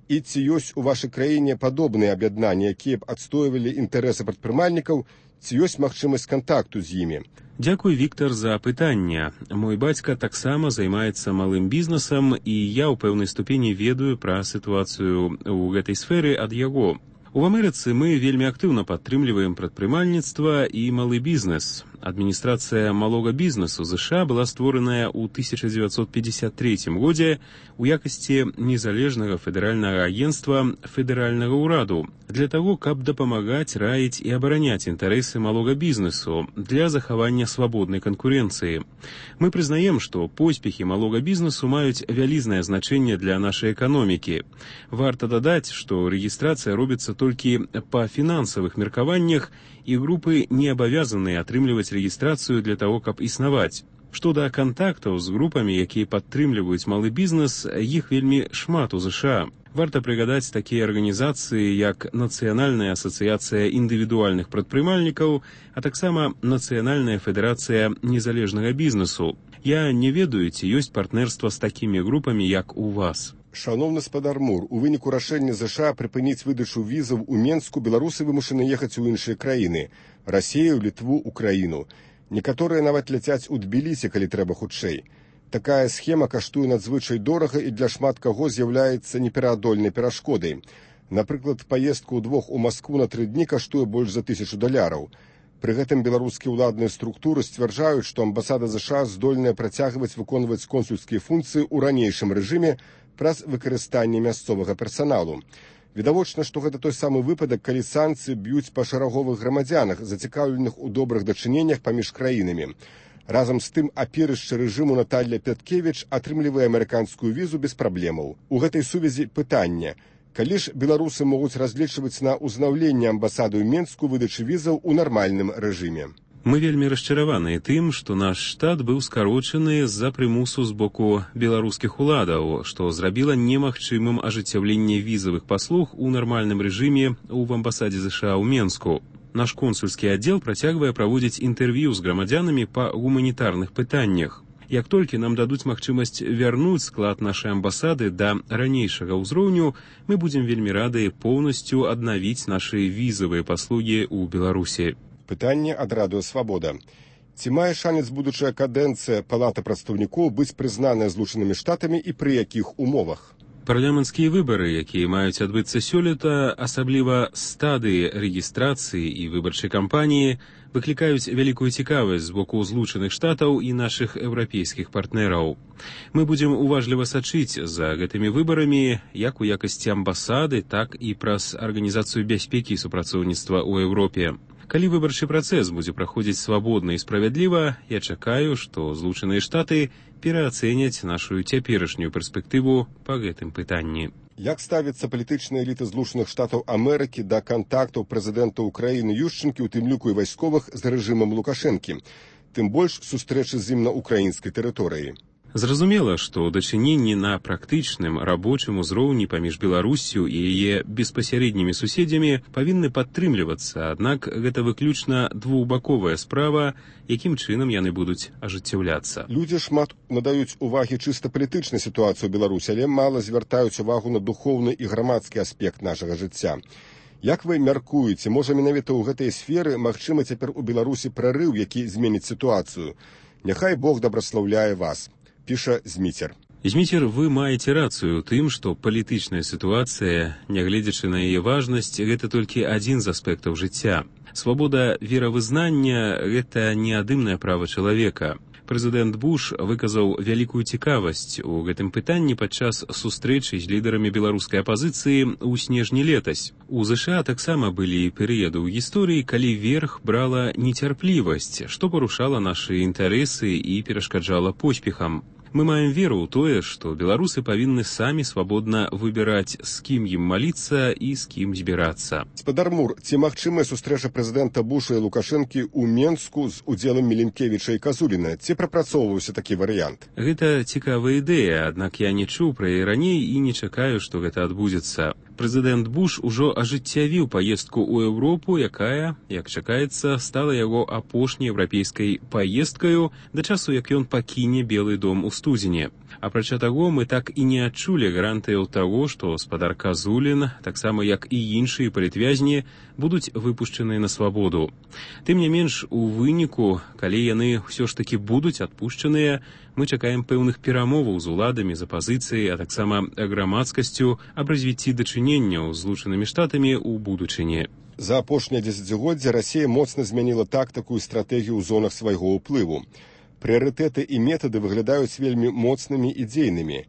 [SPEAKER 20] І ці ёсць у вашай краіне падобныя аб'яднанні, якія б адстойвалі інтарэсы прадпрымальнікаў, ці ёсць магчымасць кантакту з імі?
[SPEAKER 17] Дзякуй, Віктор, за пытанне. Мой бацька таксама займаецца малым бізнесам, і я ў пэўнай ступені ведаю пра сітуацыю ў гэтай сферы ад яго. У Амерыцы мы вельмі актыўна падтрымліваем прадпрымальніцтва і малы бізнес. Адміністрацыя малога бізнесу США была створаная ў 1953 годзе у якасці незалежнага федэральнага агенцтва федэральнага ўраду для таго, каб дапамагаць, раіць і абараняць інтарэсы малога бізнесу для захавання свабоднай канкурэнцыі. Мы прызнаем, што поспехі малога бізнесу маюць вялізнае значэнне для нашай эканомікі. Варта дадаць, што рэгістрацыя робіцца толькі па фінансавых меркаваннях, і групы не абавязаныя атрымліваць рэгістрацыю для таго, каб існаваць. Што да кантактаў з групамі, якія падтрымліваюць малы бізнес, іх вельмі шмат у США. Варта прыгадаць такія арганізацыі, як Нацыянальная асацыяцыя індывідуальных прадпрымальнікаў, а таксама Нацыянальная федэрацыя незалежнага бізнесу. Я не ведаю, ці ёсць партнерства з такімі групамі, як у вас.
[SPEAKER 20] Шановны спадар Мур, у выніку рашэння США прыпыніць выдачу візаў у Менску беларусы вымушаны ехаць у іншыя краіны – Расію, Літву, Украіну. Некаторыя нават ляцяць у Тбілісі, калі трэба хутчэй. Такая схема каштуе надзвычай дорага і для шмат каго з'яўляецца непераадольнай перашкодай. Напрыклад, паездка ўдвох у Маскву на 3 дні каштуе больш за $1000. Пры гэтым беларускія ўладныя структуры сцвярджаюць, што амбасада США здольная працягваць выконваць консульскія функцыі ў ранейшым рэжыме праз выкарыстанне мясцовага персаналу. Відавочна, што гэта той самы выпадак, калі санкцыі б'юць па шараговых грамадзянах, зацікаўленых у добрых дачыненнях паміж краінамі. Разам з тым, аперышча рэжыму Наталья Пяткевіч атрымлівае амерыканскую візу без праблемаў. У гэтай сувязі пытанне: калі ж беларусы могуць разлічваць на ўзнаўленне амбасады ў Менску выдачы візаў у нармальным рэжыме?
[SPEAKER 17] Мы вельмі расчараваныя тым, што наш штат быў скарочаны з-за прымусу з боку беларускіх уладаў, што зрабіла немагчымым ажыццяўленне візавых паслуг у нармальным рэжыме ў амбасадзе США ў Менску. Наш консульскі аддзел працягвае праводзіць інтэрв'ю з грамадзянамі па гуманітарных пытаннях. Як толькі нам дадуць магчымасць вярнуць склад нашай амбасады да ранейшага ўзроўню, мы будзем вельмі рады поўнасцю аднавіць нашы візавыя паслугі ў Беларусі.
[SPEAKER 20] Пытанне ад радыё «Свабода». Ці мае шанец будучая кадэнцыя Палаты прадстаўнікоў быць прызнаная Злучанымі Штатамі і пры якіх умовах?
[SPEAKER 17] Парламенцкія выбары, якія маюць адбыцца сёлета, асабліва стадыі рэгістрацыі і выбарчай кампаніі, выклікаюць вялікую цікавасць з боку Злучаных Штатаў і нашых еўрапейскіх партнераў. Мы будзем уважліва сачыць за гэтымі выбарамі, як у якасці амбасады, так і праз Арганізацыю бяспекі і супрацоўніцтва ў Еўропе. Калі выбарчы працэс будзе праходзіць свабодна і справядліва, я чакаю, што Злучаныя Штаты пераацэняць нашу цяперашнюю перспектыву па гэтым пытанні.
[SPEAKER 20] Як ставіцца палітычная эліта Злучаных Штатаў Амерыкі да кантактаў прэзідэнта Украіны Ющенкі, у тым ліку і вайсковых, з рэжымам Лукашэнкі, тым больш сустрэчы з ім на украінскай тэрыторыі?
[SPEAKER 17] Зразумела, што дачыненні на практычным рабочым узроўні паміж Беларуссю і яе беспасярэднімі суседзямі павінны падтрымлівацца, аднак гэта выключна двухбаковая справа, якім чынам яны будуць ажыццяўляцца.
[SPEAKER 20] Людзі шмат надаюць увагі чыста палітычнай сітуацыі ў Беларусі, але мала звяртаюць увагу на духоўны і грамадскі аспект нашага жыцця. Як вы мяркуеце, можа менавіта ў гэтай сферы магчыма цяпер у Беларусі прарыў, які зменіць сітуацыю? Няхай Бог дабраслаўляе вас. Піша Зміцер.
[SPEAKER 17] Зміцер, вы маеце рацыю ў тым, што палітычная сітуацыя, нягледзячы на яе важнасць, гэта толькі адзін з аспектаў жыцця. Свабода веравызнання – гэта неадымнае права чалавека. Прэзідэнт Буш выказаў вялікую цікавасць у гэтым пытанні падчас сустрэчы з лідарамі беларускай апазіцыі ў снежні летась. У ЗША таксама былі перыяды ў гісторыі, калі верх брала нецярплівасць, што парушала нашы інтарэсы і перашкаджала поспехам. Мы маем веру ў тое, што беларусы павінны самі свабодна выбіраць, з кім ім маліцца і з кім збірацца.
[SPEAKER 20] Гаспадар Мур, ці магчымая сустрэча прэзідэнта Буша і Лукашэнкі ў Менску з удзелам Міленкевіча і Казуліна? Ці прапрацоўваўся такі варыянт?
[SPEAKER 17] Гэта цікавая ідэя, аднак я не чуў пра яе раней і не чакаю, што гэта адбудзецца. Прэзідэнт Буш ужо ажыццявіў паездку ў Еўропу, якая, як чакаецца, стала яго апошняй еўрапейскай паездкаю да часу, як ён пакіне Белы дом у студзені. Апрача таго, мы так і не адчулі гарантыяў таго, што гаспадар Казулін, таксама як і іншыя палітвязні, будуць выпушчаныя на свабоду. Тым не менш, у выніку, калі яны ўсё ж такі будуць адпушчаныя, мы чакаем пэўных перамоваў з уладамі, з апазіцыяй, а таксама грамадскасцю аб развіцці дачыненняў з Злучанымі Штатамі ў будучыні.
[SPEAKER 20] За апошняе дзесяцігоддзе Расія моцна змяніла тактыку і стратэгію ў зонах свайго ўплыву. Прыярытэты і метады выглядаюць вельмі моцнымі і дзейнымі.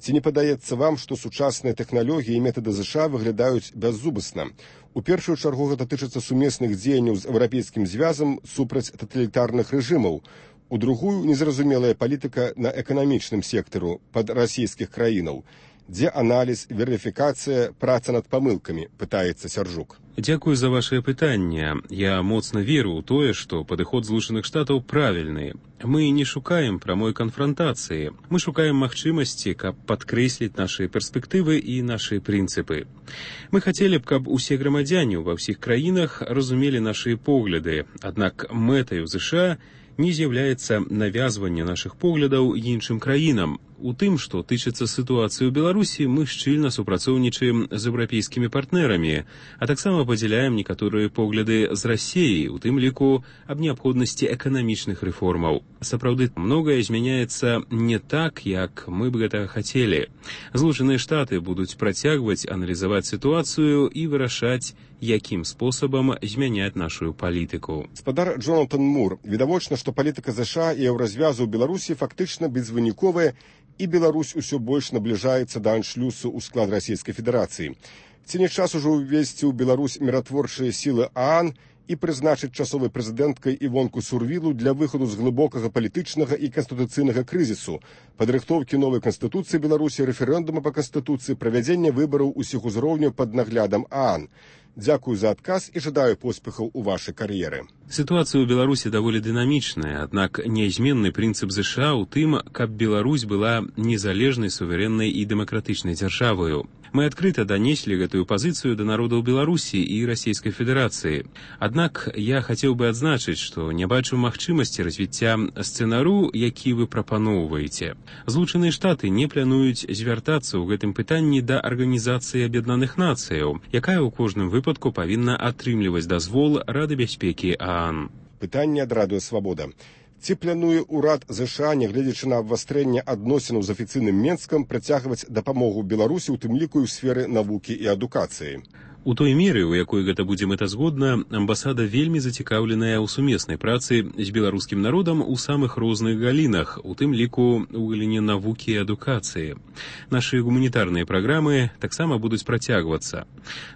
[SPEAKER 20] Ці не падаецца вам, што сучасныя тэхналогіі і метады ЗША выглядаюць бяззубасна? У першую чаргу гэта тычыцца сумесных дзеянняў з еўрапейскім звязам супраць таталітарных рэжымаў. У другую незразумелая палітыка на эканамічным сектару пад расійскіх краінаў. Дзе аналіз, верыфікацыя, праца над памылкамі, пытаецца Сяржук.
[SPEAKER 17] Дзякую за вашае пытанне. Я моцна веру ў тое, што падыход Злучаных Штатаў правільны. Мы не шукаем прамой канфрантацыі. Мы шукаем магчымасці, каб падкрэсліць нашы перспектывы і нашы прынцыпы. Мы хацелі б, каб усе грамадзяне ва ўсіх краінах разумелі нашы погляды, аднак мэтаю ЗША не з'яўляецца навязванне нашых поглядаў іншым краінам. У тым, што тычыцца сітуацыі ў Беларусі, мы шчыльна супрацоўнічаем з еўрапейскімі партнерамі, а таксама падзяляем некаторыя погляды з Расіяй, у тым ліку аб неабходнасці эканамічных рэформаў. Сапраўды, многае змяняецца не так, як мы б гэтага хацелі. Злучаныя Штаты будуць працягваць аналізаваць сітуацыю і вырашаць, якім спосабам змяняць нашу палітыку.
[SPEAKER 20] Гаспадар Джонатан Мур, відавочна, што палітыка ЗША і еўразвязу ў Беларусі фактычна безвыніковая, і Беларусь усё больш набліжаецца да аншлюсу ў склад Расійскай Федэрацыі. Ці не час ужо ўвесці ў Беларусь міратворчыя сілы ААН і прызначыць часовай прэзідэнткай Івонку Сурвілу для выхаду з глыбокага палітычнага і канстытуцыйнага крызісу, падрыхтоўкі новай канстытуцыі Беларусі, рэферэндума па канстытуцыі, правядзення выбараў усіх узроўняў пад наглядам ААН. Дзякую за адказ і жадаю поспехаў у вашай кар'еры.
[SPEAKER 17] Сітуацыя ў Беларусі даволі дынамічная, аднак нязменны прынцып ЗША ў тым, каб Беларусь была незалежнай, суверэннай і дэмакратычнай дзяржавою. Мы адкрыта данеслі гэтую пазіцыю да народаў Беларусі і Расійскай Федэрацыі. Аднак я хацеў бы адзначыць, што не бачу магчымасці развіцця сцэнару, які вы прапаноўваеце. Злучаныя Штаты не плануюць звяртацца ў гэтым пытанні да Арганізацыі Аб'яднаных Нацыяў, якая ў кожным выпадку павінна атрымліваць дазвол Рады бяспекі ААН.
[SPEAKER 20] Пытанне ад Радыё Свабода. Ці плануе ўрад ЗША, нягледзячы на абвастрэнне адносінаў з афіцыйным Менскам, працягваць дапамогу Беларусі, у тым ліку і ў сферы навукі і адукацыі?
[SPEAKER 17] У той меры, у якой гэта будзе мэтазгодна, амбасада вельмі зацікаўленая ў сумеснай працы з беларускім народам у самых розных галінах, у тым ліку ў галіне навукі і адукацыі. Нашы гуманітарныя праграмы таксама будуць працягвацца.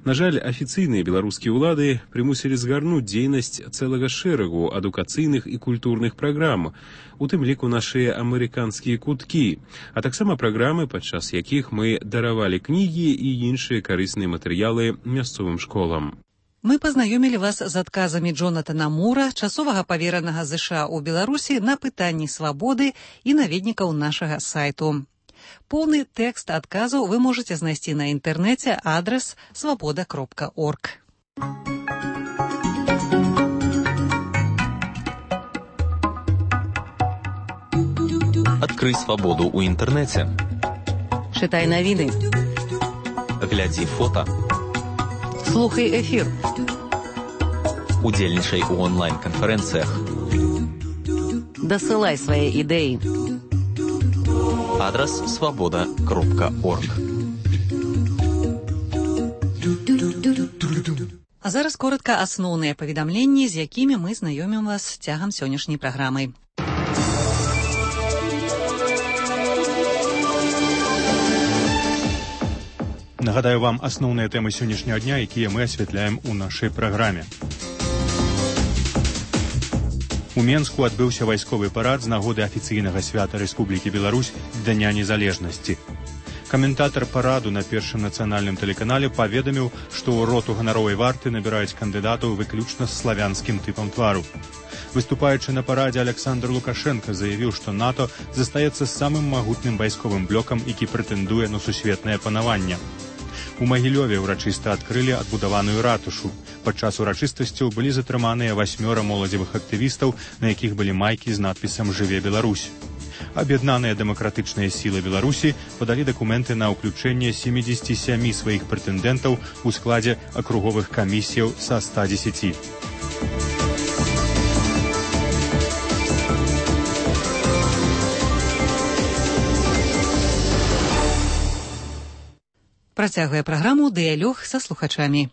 [SPEAKER 17] На жаль, афіцыйныя беларускія ўлады прымусілі згарнуць дзейнасць цэлага шэрагу адукацыйных і культурных праграм, у тым ліку нашыя амерыканскія куткі, а таксама праграмы, падчас якіх мы даравалі кнігі і іншыя карысныя матэрыялы мясцовым школам.
[SPEAKER 19] Мы пазнаёмілі вас з адказамі Джонатана Мура, часовага паверанага ЗША ў Беларусі, на пытанні свабоды і наведнікаў нашага сайту. Поўны тэкст адказаў вы можаце знайсці на інтэрнэце, адрас свабода.орг.
[SPEAKER 14] Адкрый свабоду ў інтэрнэце.
[SPEAKER 2] Чытай навіны.
[SPEAKER 14] Глядзі фота.
[SPEAKER 2] Слухай эфір.
[SPEAKER 14] Удзельнічай у онлайн-канферэнцыях.
[SPEAKER 2] Дасылай свае ідэі.
[SPEAKER 14] Адрес свобода.орг.
[SPEAKER 19] А зараз коротка асноўныя паведамленні, з якімі мы знаёмім вас цягам сённяшняй праграмы.
[SPEAKER 1] Нагадаю вам асноўныя тэмы сённяшняга дня, якія мы асвятляем у нашай праграме. У Менску адбыўся вайсковы парад з нагоды афіцыйнага свята Рэспублікі Беларусь Дня незалежнасці. Каментатар параду на першым нацыянальным тэлеканале паведаміў, што ў роту ганаровай варты набіраюць кандыдатаў выключна з славянскім тыпам твару. Выступаючы на парадзе, Александр Лукашенко заявіў, што НАТО застаецца самым магутным вайсковым блокам, які прэтэндуе на сусветнае панаванне. У Магілёве ўрачыста адкрылі адбудаваную ратушу. Падчас урачыстасцяў былі затрыманыя 8 моладзевых актывістаў, на якіх былі майкі з надпісам «Жыве Беларусь». Аб'яднаныя дэмакратычныя сілы Беларусі падалі дакументы на ўключэнне 77 сваіх прэтэндэнтаў у складзе акруговых камісіяў са 110.
[SPEAKER 19] Працягвае праграму «Дыялог са слухачамі».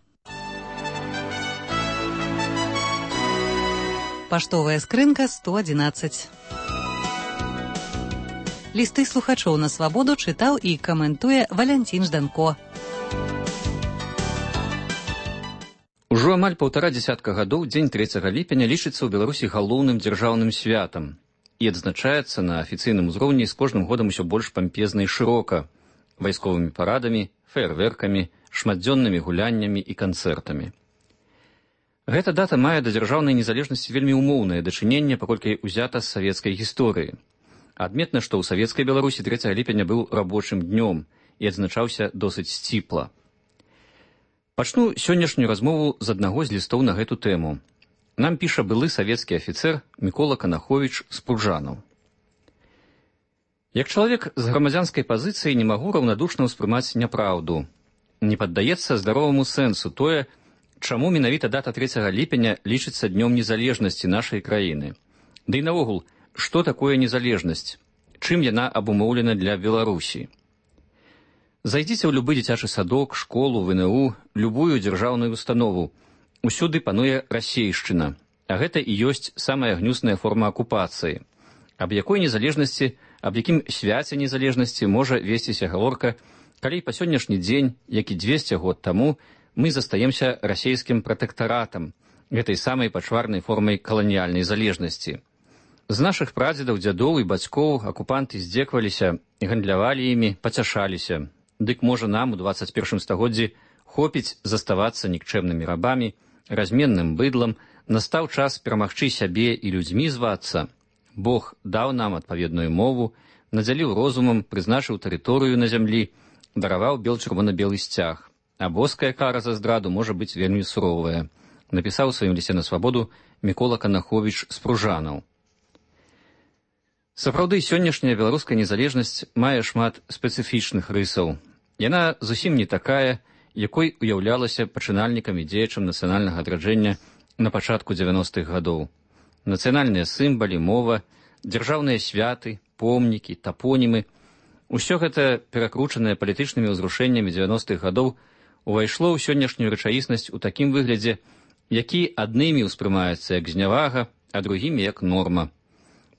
[SPEAKER 19] Паштовая скрынка 111. Лісты слухачоў на свабоду чытаў і каментуе Валянцін Жданко.
[SPEAKER 21] Ужо амаль 1,5 дзесятка гадоў дзень 3 ліпеня лічыцца ў Беларусі галоўным дзяржаўным святам і адзначаецца на афіцыйным узроўні з кожным годам усё больш пампезна і шырока, вайсковымі парадамі, феерверкамі, шматдзённымі гуляннямі і канцэртамі. Гэта дата мае да дзяржаўнай незалежнасці вельмі умоўнае дачыненне, паколькі ўзята з савецкай гісторыі. Адметна, што ў савецкай Беларусі 3 ліпеня быў рабочым днём і адзначаўся досыць сціпла. Пачну сённяшнюю размову з аднаго з лістоў на гэту тэму. Нам піша былы савецкі афіцэр Мікола Канаховіч з Пружанаў. Як чалавек з грамадзянскай пазіцыі не магу раўнадушна ўспрымаць няпраўду. Не паддаецца здароваму сэнсу тое, чаму менавіта дата 3 ліпеня лічыцца днём незалежнасці нашай краіны. Ды і наогул, што такое незалежнасць? Чым яна абумоўлена для Беларусі? Зайдзіце ў любы дзіцячы садок, школу, ВНУ, любую дзяржаўную установу. Усюды пануе расейшчына, а гэта і ёсць самая гнюсная форма акупацыі. Аб якой незалежнасці, аб якім свяце незалежнасці можа весціся гаворка, калі па сённяшні дзень, як і 200 год таму, мы застаемся расейскім пратэктаратам, гэтай самай пачварнай формай каланіяльнай залежнасці. З нашых прадзедаў, дзядоў і бацькоў акупанты здзекваліся, гандлявалі імі, пацяшаліся. Дык можа нам у 21 стагоддзі хопіць заставацца нікчэмнымі рабамі, разменным быдлам, настаў час перамагчы сябе і людзьмі звацца. Бог даў нам адпаведную мову, надзяліў розумам, прызначыў тэрыторыю на зямлі, дараваў бел-чырвона-белы сцяг. А боская кара за здраду можа быць вельмі суровая, напісаў у сваім лісце на свабоду Мікола Канаховіч з Пружанаў. Сапраўды, сённяшняя беларуская незалежнасць мае шмат спецыфічных рысаў. Яна зусім не такая, якой уяўлялася пачынальнікам і дзеячам нацыянальнага адраджэння на пачатку 90-х гадоў. Нацыянальныя сімвалы, мова, дзяржаўныя святы, помнікі, тапонімы – усё гэта, перакручанае палітычнымі ўзрушэннямі 90-х гадоў, увайшло ў сённяшнюю рэчаіснасць у такім выглядзе, які аднымі ўспрымаецца як знявага, а другімі як норма.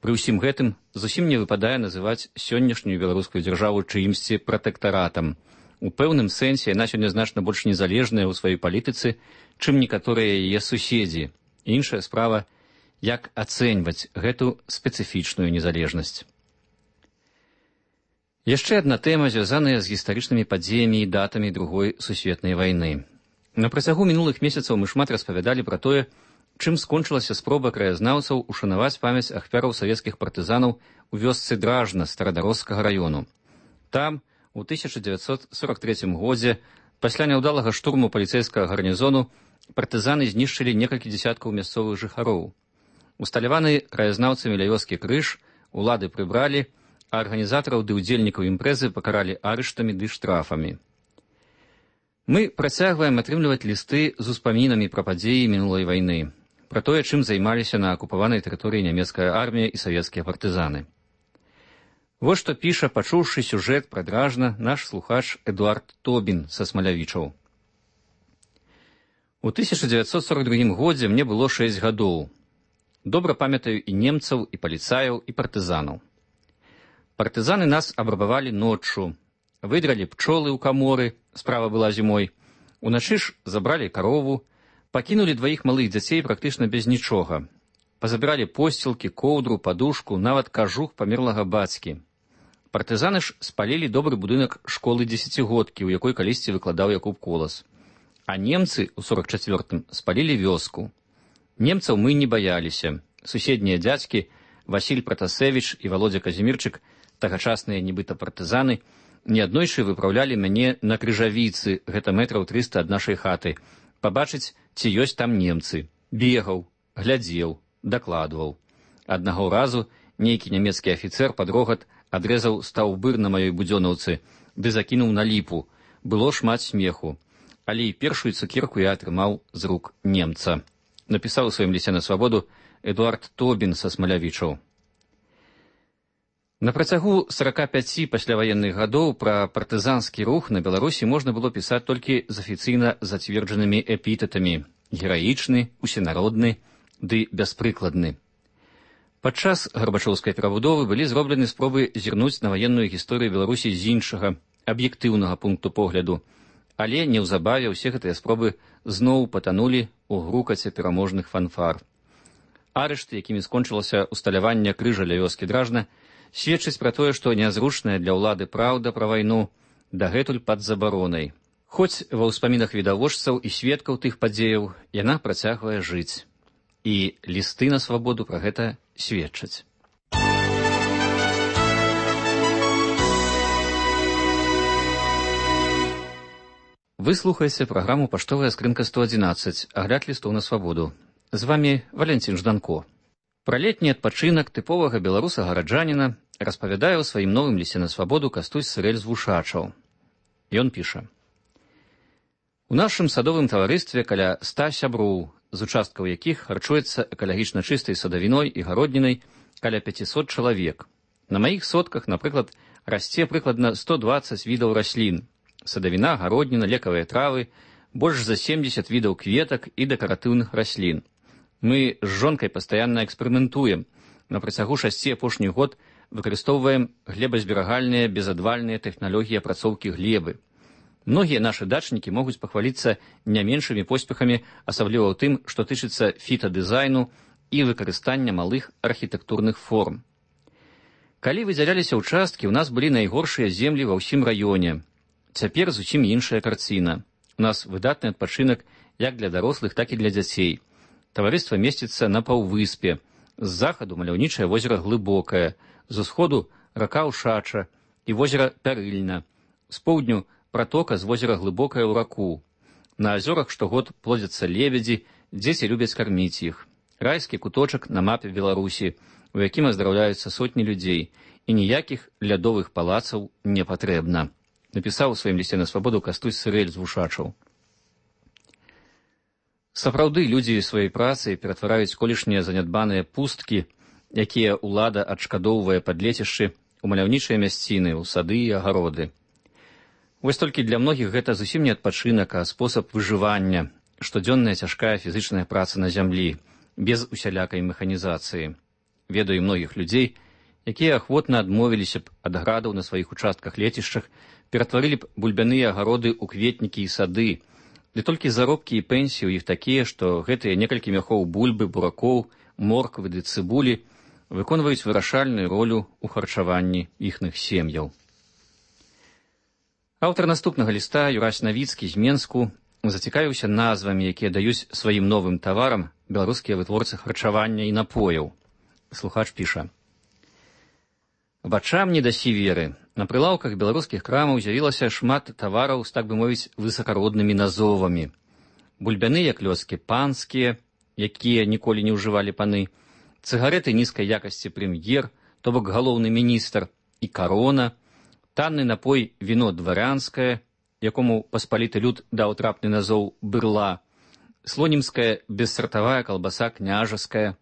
[SPEAKER 21] Пры ўсім гэтым зусім не выпадае называць сённяшнюю беларускую дзяржаву чыімсьці пратэктаратам. У пэўным сэнсе яна сёння значна больш незалежная ў сваёй палітыцы, чым некаторыя яе суседзі. Іншая справа, як ацэньваць гэту спецыфічную незалежнасць. Яшчэ адна тэма, звязаная з гістарычнымі падзеямі і датамі Другой сусветнай вайны. На працягу мінулых месяцаў мы шмат распавядалі пра тое, чым скончылася спроба краязнаўцаў ушанаваць памяць ахвяраў савецкіх партызанаў у вёсцы Дражна Старадарожскага раёну. Там, у 1943 годзе, пасля няўдалага штурму паліцэйскага гарнізону, партызаны знішчылі некалькі дзесяткаў мясцовых жыхароў. Усталяваны краязнаўцамі ля вёскі крыж улады прыбралі, а арганізатараў ды ўдзельнікаў імпрэзы пакаралі арыштамі ды штрафамі. Мы працягваем атрымліваць лісты з успамінамі пра падзеі мінулай вайны, пра тое, чым займаліся на акупаванай тэрыторыі нямецкая армія і савецкія партызаны. Вот што піша, пачуўшы сюжэт прадражна, наш слухач Эдуард Тобін са Смалявічаў. У 1942 годзе мне было 6 гадоў. Добра памятаю і немцаў, і паліцаяў, і партызанаў. Партызаны нас абрабавалі ноччу. Выдралі пчолы ў каморы, справа была зімой. Уначы ж забралі карову, пакінулі 2 малых дзяцей практычна без нічога. Пазабіралі посцілкі, коўдру, падушку, нават кажух памерлага бацькі. Партызаны ж спалілі добры будынак школы 10-годкі, у якой калісьці выкладаў Якуб Колас. А немцы ў 44-м спалілі вёску. Немцаў мы не баяліся. Суседнія дзядзькі, Васіль Пратасевіч і Володя Казімірчык, тагачасныя нібыта партызаны, неаднойчы выпраўлялі мяне на крыжавіцы, гэта метраў 300 ад нашай хаты, пабачыць, ці ёсць там немцы. Бегаў, глядзеў, дакладваў. Аднаго разу нейкі нямецкі афіцэр пад рогат адрэзаў стаўбыр на маёй будзёнаўцы, ды закінуў на ліпу. Было шмат смеху. Але і першую цукерку я атрымаў з рук немца. Напісаў у сваім лісце на свабоду Эдуард Тобін са Смалявічаў. На працягу 45 пасляваенных гадоў пра партызанскі рух на Беларусі можна было пісаць толькі з афіцыйна зацверджанымі эпітэтамі: гераічны, усенародны ды бяспрыкладны. Падчас гарбачоўскай перабудовы былі зроблены спробы зірнуць на ваенную гісторыю Беларусі з іншага, аб'ектыўнага пункту погляду, але неўзабаве ўсе гэтыя спробы зноў патанулі ў грукаце пераможных фанфар. Арышты, якімі скончылася усталяванне крыжа ля вёскі Дражна, сведчыць пра тое, што нязручная для ўлады праўда пра вайну дагэтуль пад забаронай. Хоць ва ўспамінах відавочцаў і сведкаў тых падзеяў яна працягвае жыць. І лісты на свабоду пра гэта сведчаць. Вы слухаеце праграму «Паштовая скрынка 111», агляд лістоў на свабоду. З вамі Валянцін Жданко. Пра летні адпачынак тыповага беларуса-гараджаніна распавядае ў сваім новым лісце на свабоду Кастусь Сырэль з Вушачаў. Ён піша: у нашым садовым таварыстве каля 100 сяброў, з участкаў якіх харчуецца экалагічна чыстай садавіной і гароднінай каля 500 чалавек. На маіх сотках, напрыклад, расце прыкладна 120 відаў раслін: садавіна, гародніна, лекавыя травы, больш за 70 відаў кветак і дэкаратыўных раслін. Мы з жонкай пастаянна эксперыментуем. На працягу 6 апошніх год выкарыстоўваем глебазберагальныя безадвальныя тэхналогіі апрацоўкі глебы. Многія нашы дачнікі могуць пахваліцца не меншымі поспехамі, асабліва ў тым, што тычыцца фітадызайну і выкарыстання малых архітэктурных форм. Калі выдзяляліся ўчасткі, у нас былі найгоршыя землі ва ўсім раёне. Цяпер зусім іншая карціна. У нас выдатны адпачынак як для дарослых, так і для дзяцей. Таварыства месціцца на паўвыспе. З захаду маляўнічае возера Глыбокае, з усходу рака Ушача і возера Пярыльна, з поўдню пратока з возера Глыбокае ў раку. На азёрах штогод плодзяцца лебедзі, дзеці любяць карміць іх. Райскі куточак на мапе Беларусі, у якім аздараўляюцца сотні людзей, і ніякіх лядовых палацаў не патрэбна. Напісаў у сваім лісце на свабоду Кастусь Сырэль з Вушачаў. Сапраўды, людзі сваёй працай ператвараюць колішнія занядбаныя пусткі, якія ўлада адшкадоўвае пад лецішчы, у маляўнічыя мясціны, у сады і агароды. Вось толькі для многіх гэта зусім не адпачынак, а спосаб выжывання, штодзённая цяжкая фізычная праца на зямлі, без усялякай механізацыі. Ведаю многіх людзей, якія ахвотна адмовіліся б ад градаў на сваіх участках-лецішчах, ператварылі б бульбяныя агароды ў кветнікі і сады, ды толькі заробкі і пенсіі ў іх такія, што гэтыя некалькі мяхоў бульбы, буракоў, морквы ды цыбулі выконваюць вырашальную ролю ў харчаванні іхных сем'яў. Аўтар наступнага ліста, Юрась Навіцкі з Менску, зацікавіўся назвамі, якія даюць сваім новым таварам беларускія вытворцы харчавання і напояў. Слухач піша: вачам не дасі веры. На прылаўках беларускіх крамаў з'явілася шмат тавараў з, так бы мовіць, высакароднымі назовамі. Бульбяныя клёскі панскія, якія ніколі не ўжывалі паны, цыгареты нізкай якасці прэм'ер, то бок галоўны міністр, і карона, танны напой віно дварянскае, якому паспаліты люд даў трапны назоў бырла, слонімская бессартавая калбаса княжаская.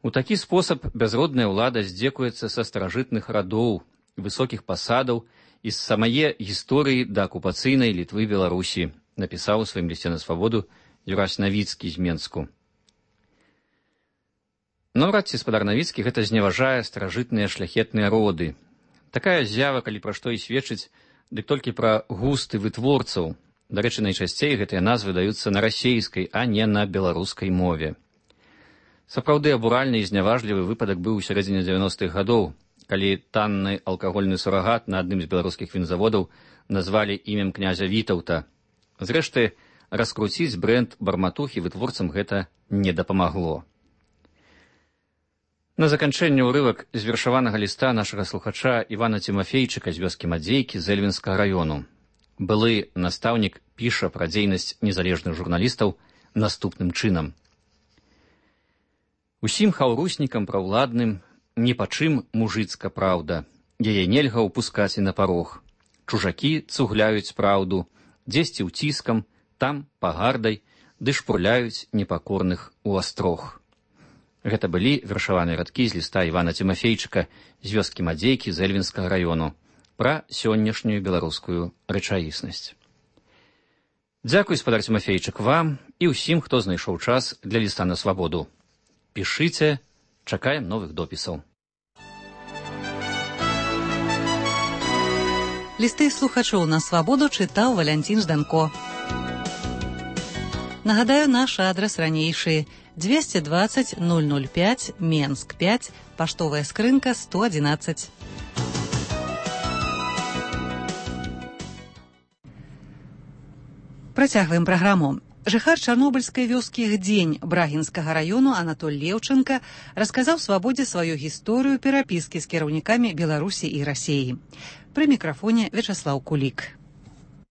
[SPEAKER 21] У такі спосаб бязродная ўлада здзекуецца са старажытных радоў, высокіх пасадаў і з самае гісторыі да акупацыйнай Літвы Беларусі, напісаў у сваім лісце на свабоду Юрась Навіцкі з Менску. Наўрад ці спадар Навіцкі гэта зневажае старажытныя шляхетныя роды. Такая з'ява, калі пра што і сведчыць, дык толькі пра густы вытворцаў. Дарэчы, найчасцей гэтыя назвы даюцца на расейскай, а не на беларускай мове. Сапраўды абуральны і зняважлівы выпадак быў у сярэдзіне 90-х гадоў, калі танны алкагольны сурагат на адным з беларускіх вінзаводаў назвалі імем князя Вітаўта. Зрэшты, раскруціць брэнд барматухі вытворцам гэта не дапамагло. На заканчэнне ўрывак з вершаванага ліста нашага слухача Івана Цімафейчыка з вёскі Мадзейкі з Эльвінскага раёну. Былы настаўнік піша пра дзейнасць незалежных журналістаў наступным чынам. Усім хаўруснікам праўладным ні па чым мужыцка праўда. Яе нельга ўпускаць і на парог. Чужакі цугляюць праўду, дзесьці ўціскам, там пагардай, ды шпурляюць непакорных у астрог. Гэта былі вершаваныя радкі з ліста Івана Цімафейчыка з вёскі Мадзейкі з Эльвінскага раёну пра сённяшнюю беларускую рэчаіснасць. Дзякуй, спадар Цімафейчык, вам і ўсім, хто знайшоў час для ліста на свабоду. Пішыце, чакаем новых допісаў.
[SPEAKER 19] Лісты слухачоў на свабоду чытаў Валянцін Жданко. Нагадаю, наш адрас ранейшы: 220 005, Менск 5, паштовая скрынка 111. Працягваем праграму. Жыхар чарнобыльскай вёскі Гдзень Брагінскага раёну Анатоль Леўчанка расказаў свабодзе сваю гісторыю перапіскі з кіраўнікамі Беларусі і Расіі. Пры мікрафоне Вячаслаў Кулік.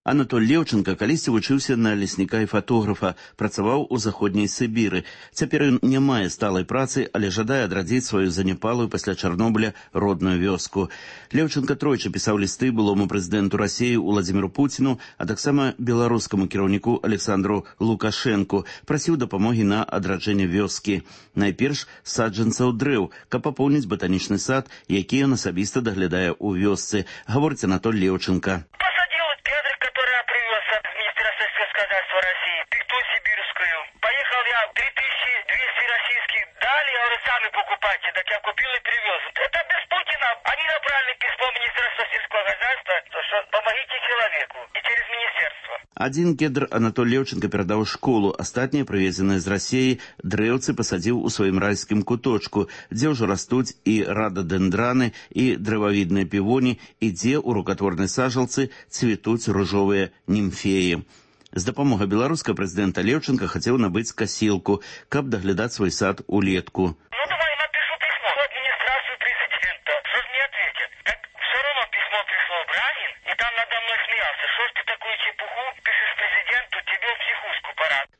[SPEAKER 3] Анатоль Леўчанка калісьці вучыўся на лесніка і фатографа, працаваў у заходняй Сібіры. Цяпер ён не мае сталай працы, але жадае адрадзіць сваю заняпалую пасля Чарнобыля родную вёску. Леўчанка тройчы пісаў лісты былому прэзідэнту Расіі Уладзіміру Пуціну, а таксама беларускаму кіраўніку Александру Лукашэнку, прасіў дапамогі на адраджэнне вёскі. Найперш саджанцаў дрэў, каб папоўніць батанічны сад, які ён асабіста даглядае ў вёсцы, гаворыць Анатоль Леўчанка.
[SPEAKER 22] Сами покупайте, так я купил и привез. Это без Путина. Они направили письмо в Министерство сельского хозяйства, что помогите человеку. И через министерство.
[SPEAKER 3] Один кедр Анатоль Леўчанка перадаў школу, астатнія прывезеныя з Расіі дрэўцы пасадзіў у сваім райскім куточку, дзе ўжо растуць і рададэндраны, і дрэвавідныя півоні, і дзе ў рукатворнай сажалцы цвітуць ружовыя німфеі. З дапамогай беларускага прэзідэнта Леўчанка хацеў набыць касілку, каб даглядаць свой сад улетку.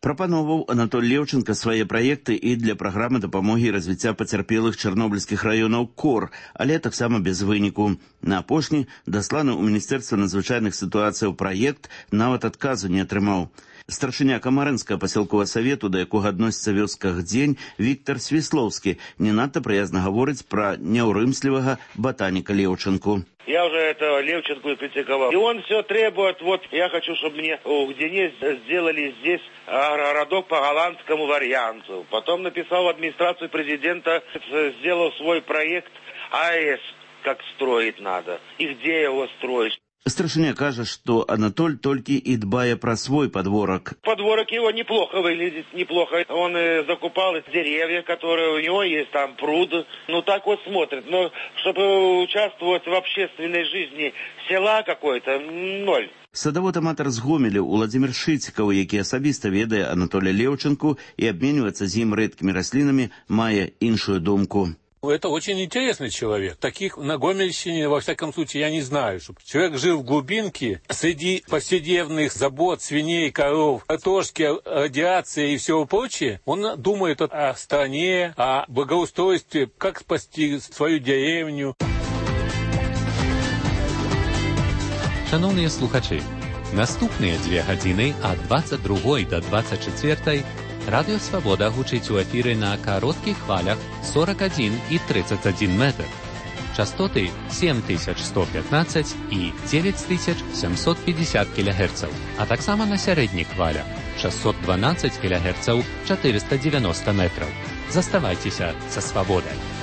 [SPEAKER 3] Прапановаў Анатоль Леўчанка свае праекты і для праграмы дапамогі і развіцця пацярпелых чарнобыльскіх раёнаў КОР, але таксама без выніку. На апошні дасланы ў Міністэрства надзвычайных сітуацыяў праект нават адказу не атрымаў. Старшыня Камарынскага пасялковага савету, да якога адносіцца вёска Гдзень, Віктор Свіслоўскі, не надта прыязна гаворыць пра няўрымслівага ботаніка Леўчанку.
[SPEAKER 23] Я уже этого Левченко и критиковал. И он все требует, вот я хочу, чтобы мне в Гдене сделали здесь городок по голландскому варианту. Потом написал в администрацию президента, сделал свой проект АЭС, как строить надо и где его строить.
[SPEAKER 3] Старшыня кажа, што Анатоль толькі і дбае пра свой подворок.
[SPEAKER 23] Подворок его неплохо выглядит, неплохо. Он закупал деревья, которые у него есть, там пруд. Ну так вот смотрит. Но чтобы участвовать в общественной жизни села какой-то, ноль.
[SPEAKER 3] Садавод-аматар з Гомеля Уладзімір Шыцікаў, які асабіста ведае Анатоля Леўчанку і абменьваецца з ім рэдкімі раслінамі, мае іншую думку.
[SPEAKER 24] Это очень интересный человек. Таких на Гомельщине, во всяком случае, я не знаю. Чтобы человек жил в глубинке, среди повседневных забот, свиней, коров, картошки, радиации и всего прочее. Он думает о стране, о благоустройстве, как спасти свою деревню.
[SPEAKER 25] Шановні слухачі, наступні 2 години, а 22 до 24
[SPEAKER 4] Радыё Свабода гучыць у эфіры на кароткіх хвалях 41 і 31 метр. Частоты 7115 і 9750 кГц, а таксама на сярэдніх хвалях 612 кГц 490 метраў. Заставайцеся са Свабодай.